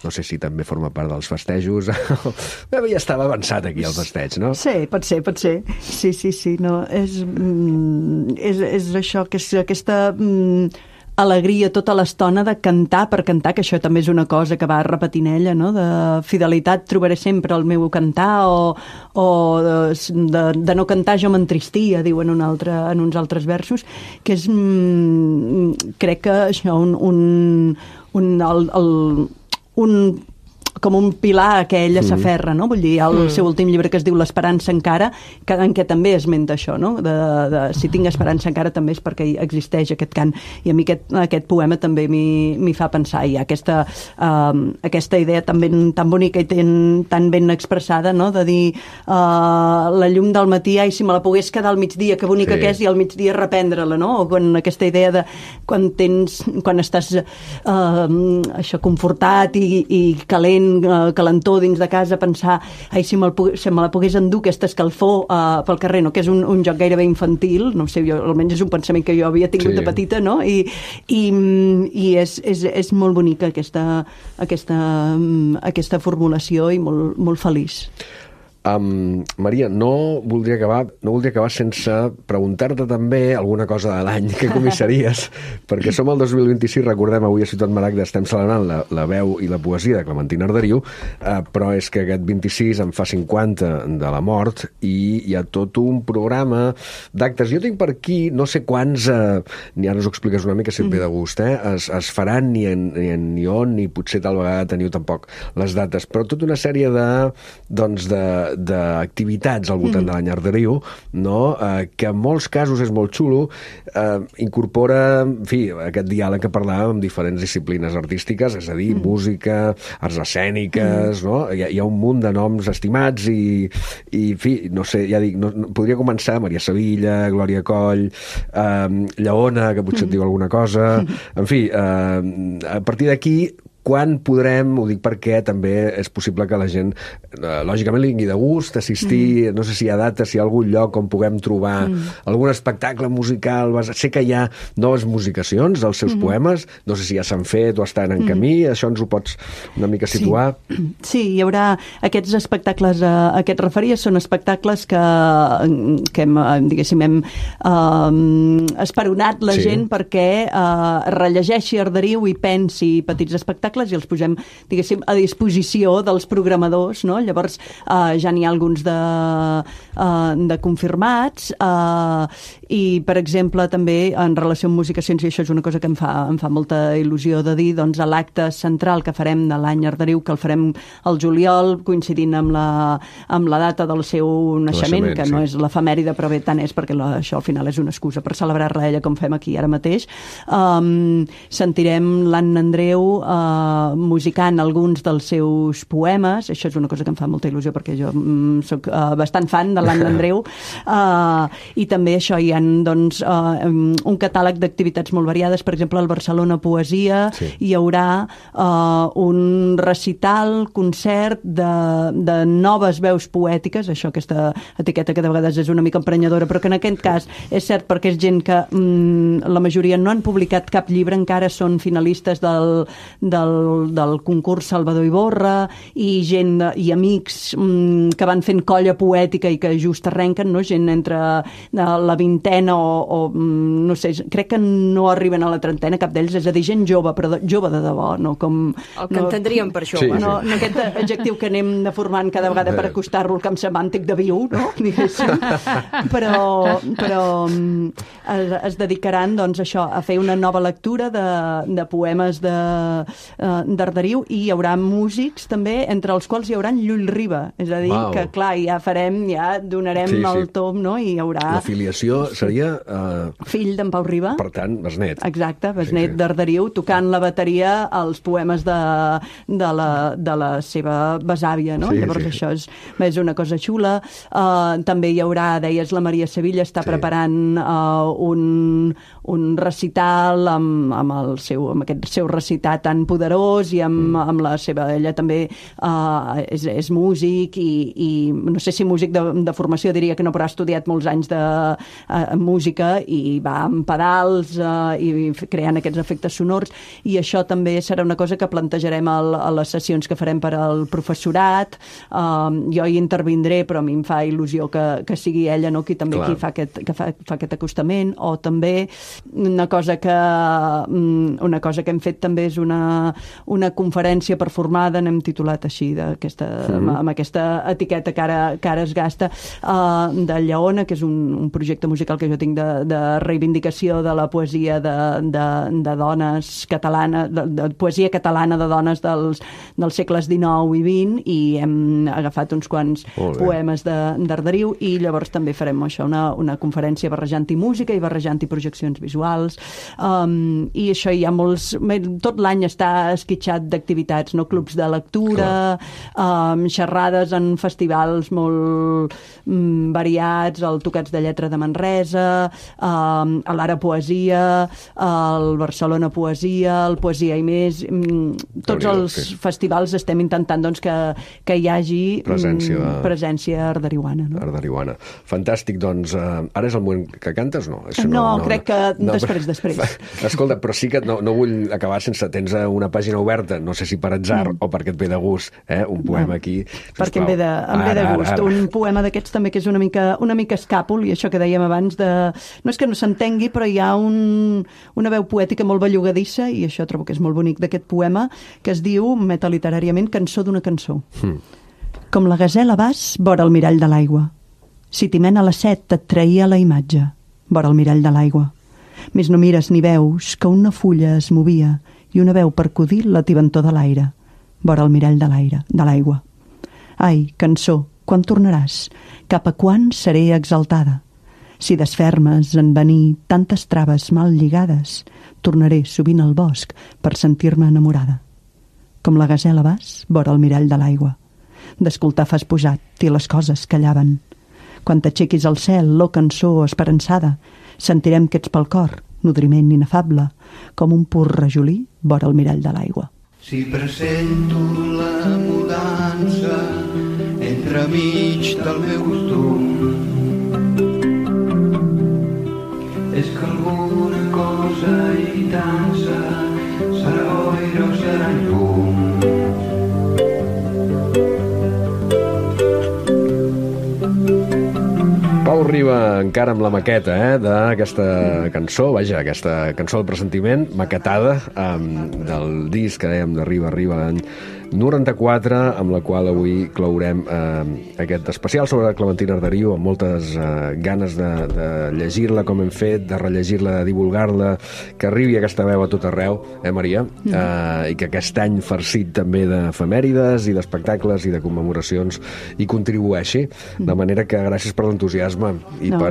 No sé si també forma part dels festejos. Bé, ja estava avançat aquí el festeig, no? Sí, pot ser. Sí, no, és això, que és aquesta... alegria tota l'estona de cantar per cantar, que això també és una cosa que va repetint ella, no? De fidelitat trobaré sempre el meu cantar, o de no cantar jo m'entristia, diu en uns altres versos, que és crec que això com un pilar que ella s'aferra, no? Vull dir, el seu últim llibre que es diu L'esperança encara, en què també esmenta això, no? Si tinc esperança encara també és perquè existeix aquest cant. I a mi aquest poema també m'hi fa pensar. Hi ha aquesta idea tan bonica i tan ben expressada, no? De dir la llum del matí, ai, si me la pogués quedar al migdia, que bonica que és, i al migdia reprendre-la, no? O aquesta idea de quan estàs això confortat i calent, calentor dins de casa, pensar, ai, si me la pogués endur aquesta escalfor pel carrer, no? Que és un joc gairebé infantil, no sé, almenys és un pensament que jo havia tingut de petita, no? I és molt bonica aquesta formulació i molt feliç. Maria, no voldria acabar sense preguntar-te també alguna cosa de l'any que comissaries, perquè som el 2026, recordem, avui a Ciutat Maragda estem celebrant la veu i la poesia de Clementina Arderiu, però és que aquest 26 en fa 50 de la mort i hi ha tot un programa d'actes. Jo tinc per aquí, no sé quants, ni ara us ho expliques una mica si et ve de gust, es faran ni on, ni potser tal vegada teniu tampoc les dates, però tota una sèrie d'activitats al voltant de l'any Arderiu, no? Que en molts casos és molt xulo, incorpora, en fi, aquest diàleg que parlàvem amb diferents disciplines artístiques, és a dir, música, arts escèniques, no? Hi ha un munt de noms estimats i en fi, no sé, ja dic, podria començar Maria Sevilla, Glòria Coll, Lleona, que potser et diu alguna cosa, en fi, a partir d'aquí Quan podrem, ho dic perquè també és possible que la gent, lògicament, li vingui de gust assistir, no sé si hi ha data, si hi ha algun lloc on puguem trobar algun espectacle musical. Sé que hi ha noves musicacions dels seus poemes, no sé si ja s'han fet o estan en camí, això ens ho pots una mica situar? Sí, hi haurà aquests espectacles a què et referies, són espectacles que hem, diguéssim, hem esperonat la gent perquè rellegeixi Arderiu i pensi petits espectacles i els posem, diguéssim, a disposició dels programadors, no? Llavors ja n'hi ha alguns de confirmats i, per exemple, també en relació amb musicacions, i això és una cosa que em fa molta il·lusió de dir, doncs a l'acte central que farem de l'any Arderiu, que el farem al juliol, coincidint amb la data del seu naixement, que no és l'efemèride, però bé, tant és perquè això al final és una excusa per celebrar-la ella, com fem aquí ara mateix. Sentirem l'Anna Andreu musicant alguns dels seus poemes, això és una cosa que em fa molta il·lusió perquè jo soc bastant fan de l'Anna Andreu, i també això hi ha doncs, un catàleg d'activitats molt variades. Per exemple, al Barcelona Poesia hi haurà un recital, concert de noves veus poètiques, això, aquesta etiqueta que de vegades és una mica emprenyadora, però que en aquest cas és cert perquè és gent que la majoria no han publicat cap llibre, encara són finalistes del concurs Salvador Iborra, i gent i amics que van fent colla poètica i que just arrenquen, no? Gent entre la vintena o no sé, crec que no arriben a la trentena cap d'ells, és a dir, gent jove, però jove de debò, no com... El que entendríem per jove. Sí. No aquest adjectiu que anem deformant cada vegada per acostar-lo al camp semàntic de viu, no? Diguéssim. Però es dedicaran, doncs, això, a fer una nova lectura de poemes d'Arderiu, i hi haurà músics també, entre els quals hi haurà Llull Riba, és a dir, que clar, ja donarem el tom, no? I hi haurà... La filiació seria... Fill d'en Pau Riba. Per tant, besnet. Exacte, besnet d'Arderiu, tocant la bateria als poemes de la seva besàvia, no? Llavors això és una cosa xula. També hi haurà, deies, la Maria Sevilla està preparant un recital amb aquest seu recitar tan poderós i amb la seva... Ella també és músic i no sé si músic de formació, diria que no, però ha estudiat molts anys de música i va amb pedals i creant aquests efectes sonors, i això també serà una cosa que plantejarem a les sessions que farem per al professorat. Jo hi intervindré, però a mi em fa il·lusió que sigui ella, no?, qui també fa aquest acostament. O també una cosa que hem fet també és una conferència performada, n'hem titulat així, amb aquesta etiqueta que ara es gasta, de Lleona, que és un projecte musical que jo tinc de reivindicació de la poesia de dones catalanes, de poesia catalana de dones dels segles XIX i XX, i hem agafat uns quants poemes d'Arderiu, i llavors també farem això, una conferència barrejant-hi música i barrejant-hi projeccions visuals, i això hi ha molts... Tot l'any està esquitxat d'activitats, no? Clubs de lectura, xerrades en festivals molt variats, el Tocats de Lletra de Manresa, a l'Ara Poesia, al Barcelona Poesia, el Poesia i Més, tots els festivals estem intentant, doncs, que hi hagi presència arderiuana. No? Arderiuana. Fantàstic, doncs, ara és el moment que cantes, no? No, crec que després. Escolta, però sí que no vull acabar sense... Tens una pàgina oberta, no sé si per atzar o perquè et ve de gust, un poema aquí. Perquè em ve de gust. Un poema d'aquests també que és una mica escàpol, i això que dèiem abans no és que no s'entengui, però hi ha una veu poètica molt bellugadissa, i això trobo que és molt bonic d'aquest poema, que es diu, metaliteràriament, Cançó d'una cançó. Com la gasela vas vora el mirall de l'aigua. Si t'hi mena la set et traïa la imatge, vora el mirall de l'aigua. Més no mires ni veus que una fulla es movia i una veu percudir la tibantor de l'aire, vora el mirall de l'aigua. Ai, cançó, quan tornaràs? Cap a quan seré exaltada? Si desfermes en venir tantes traves mal lligades, tornaré sovint al bosc per sentir-me enamorada. Com la gasela vas vora el mirall de l'aigua. D'escoltar fas posat i les coses callaven. Quan t'aixequis al cel, cançó esperançada, sentirem que ets pel cor, nodriment inefable, com un pur rajolí vora el mirall de l'aigua. Si presento la mudança entremig del meu costum, és que alguna cosa hi dansa, serà boira o serà llum. Pau Riba encara amb la maqueta d'aquesta cançó, vaja, aquesta cançó del pressentiment, maquetada del disc que dèiem de Riba l'any 94, amb la qual avui clourem aquest especial sobre Clementina Arderiu, amb moltes ganes de llegir-la com hem fet, de rellegir-la, de divulgar-la, que arribi aquesta veu a tot arreu, Maria? I que aquest any farcit també d'efemèrides i d'espectacles i de commemoracions hi contribueixi, de manera que gràcies per l'entusiasme i per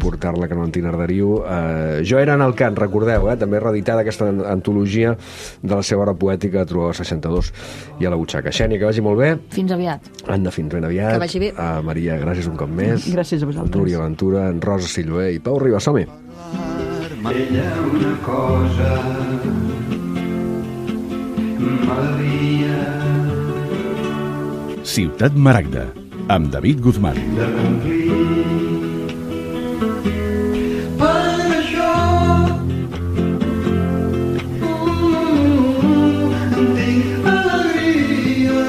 portar-la a Clementina Arderiu. Jo era en el cant, recordeu, també reeditada aquesta antologia de la seva obra poètica a Trobador 62 i a la butxaca. Xènia, que vagi molt bé. Fins aviat. Anna, fins ben aviat. Que vagi bé. Maria, gràcies un cop més. Gràcies a vosaltres. Núria Ventura, en Rosa Silloé i Pau Riba, som-hi. Ella una cosa m'havia Ciutat Maragda, amb David Guzmán. de complir. Per això tinc alegria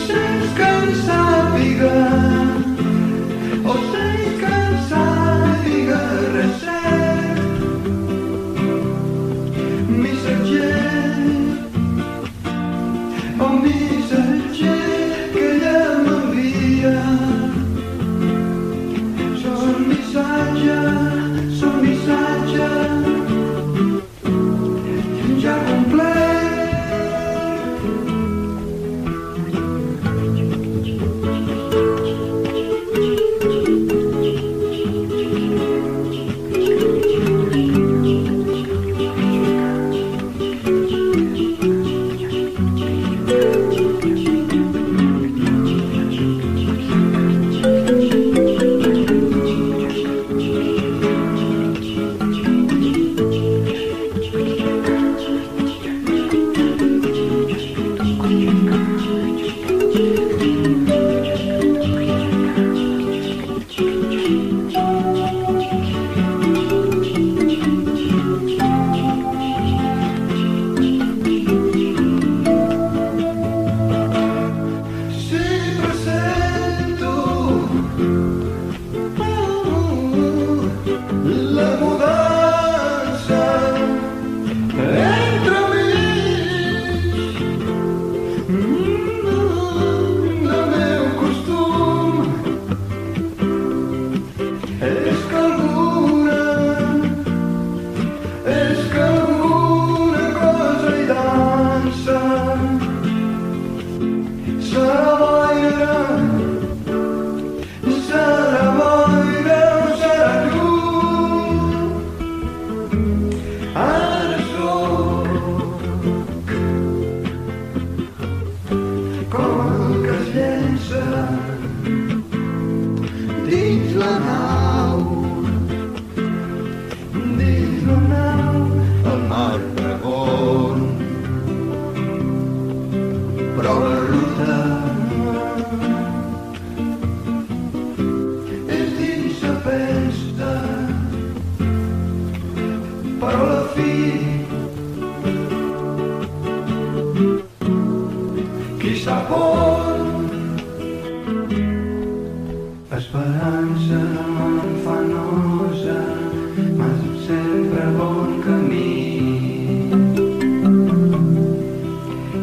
sense que em sàpiga o sense que em sàpiga res cert. Missatger o missatger que ella m'envia, són missatge ja complet. Esperança manfanosa, mas sempre bon camí.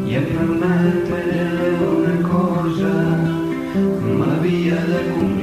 I em permet una cosa, m'havia de complir.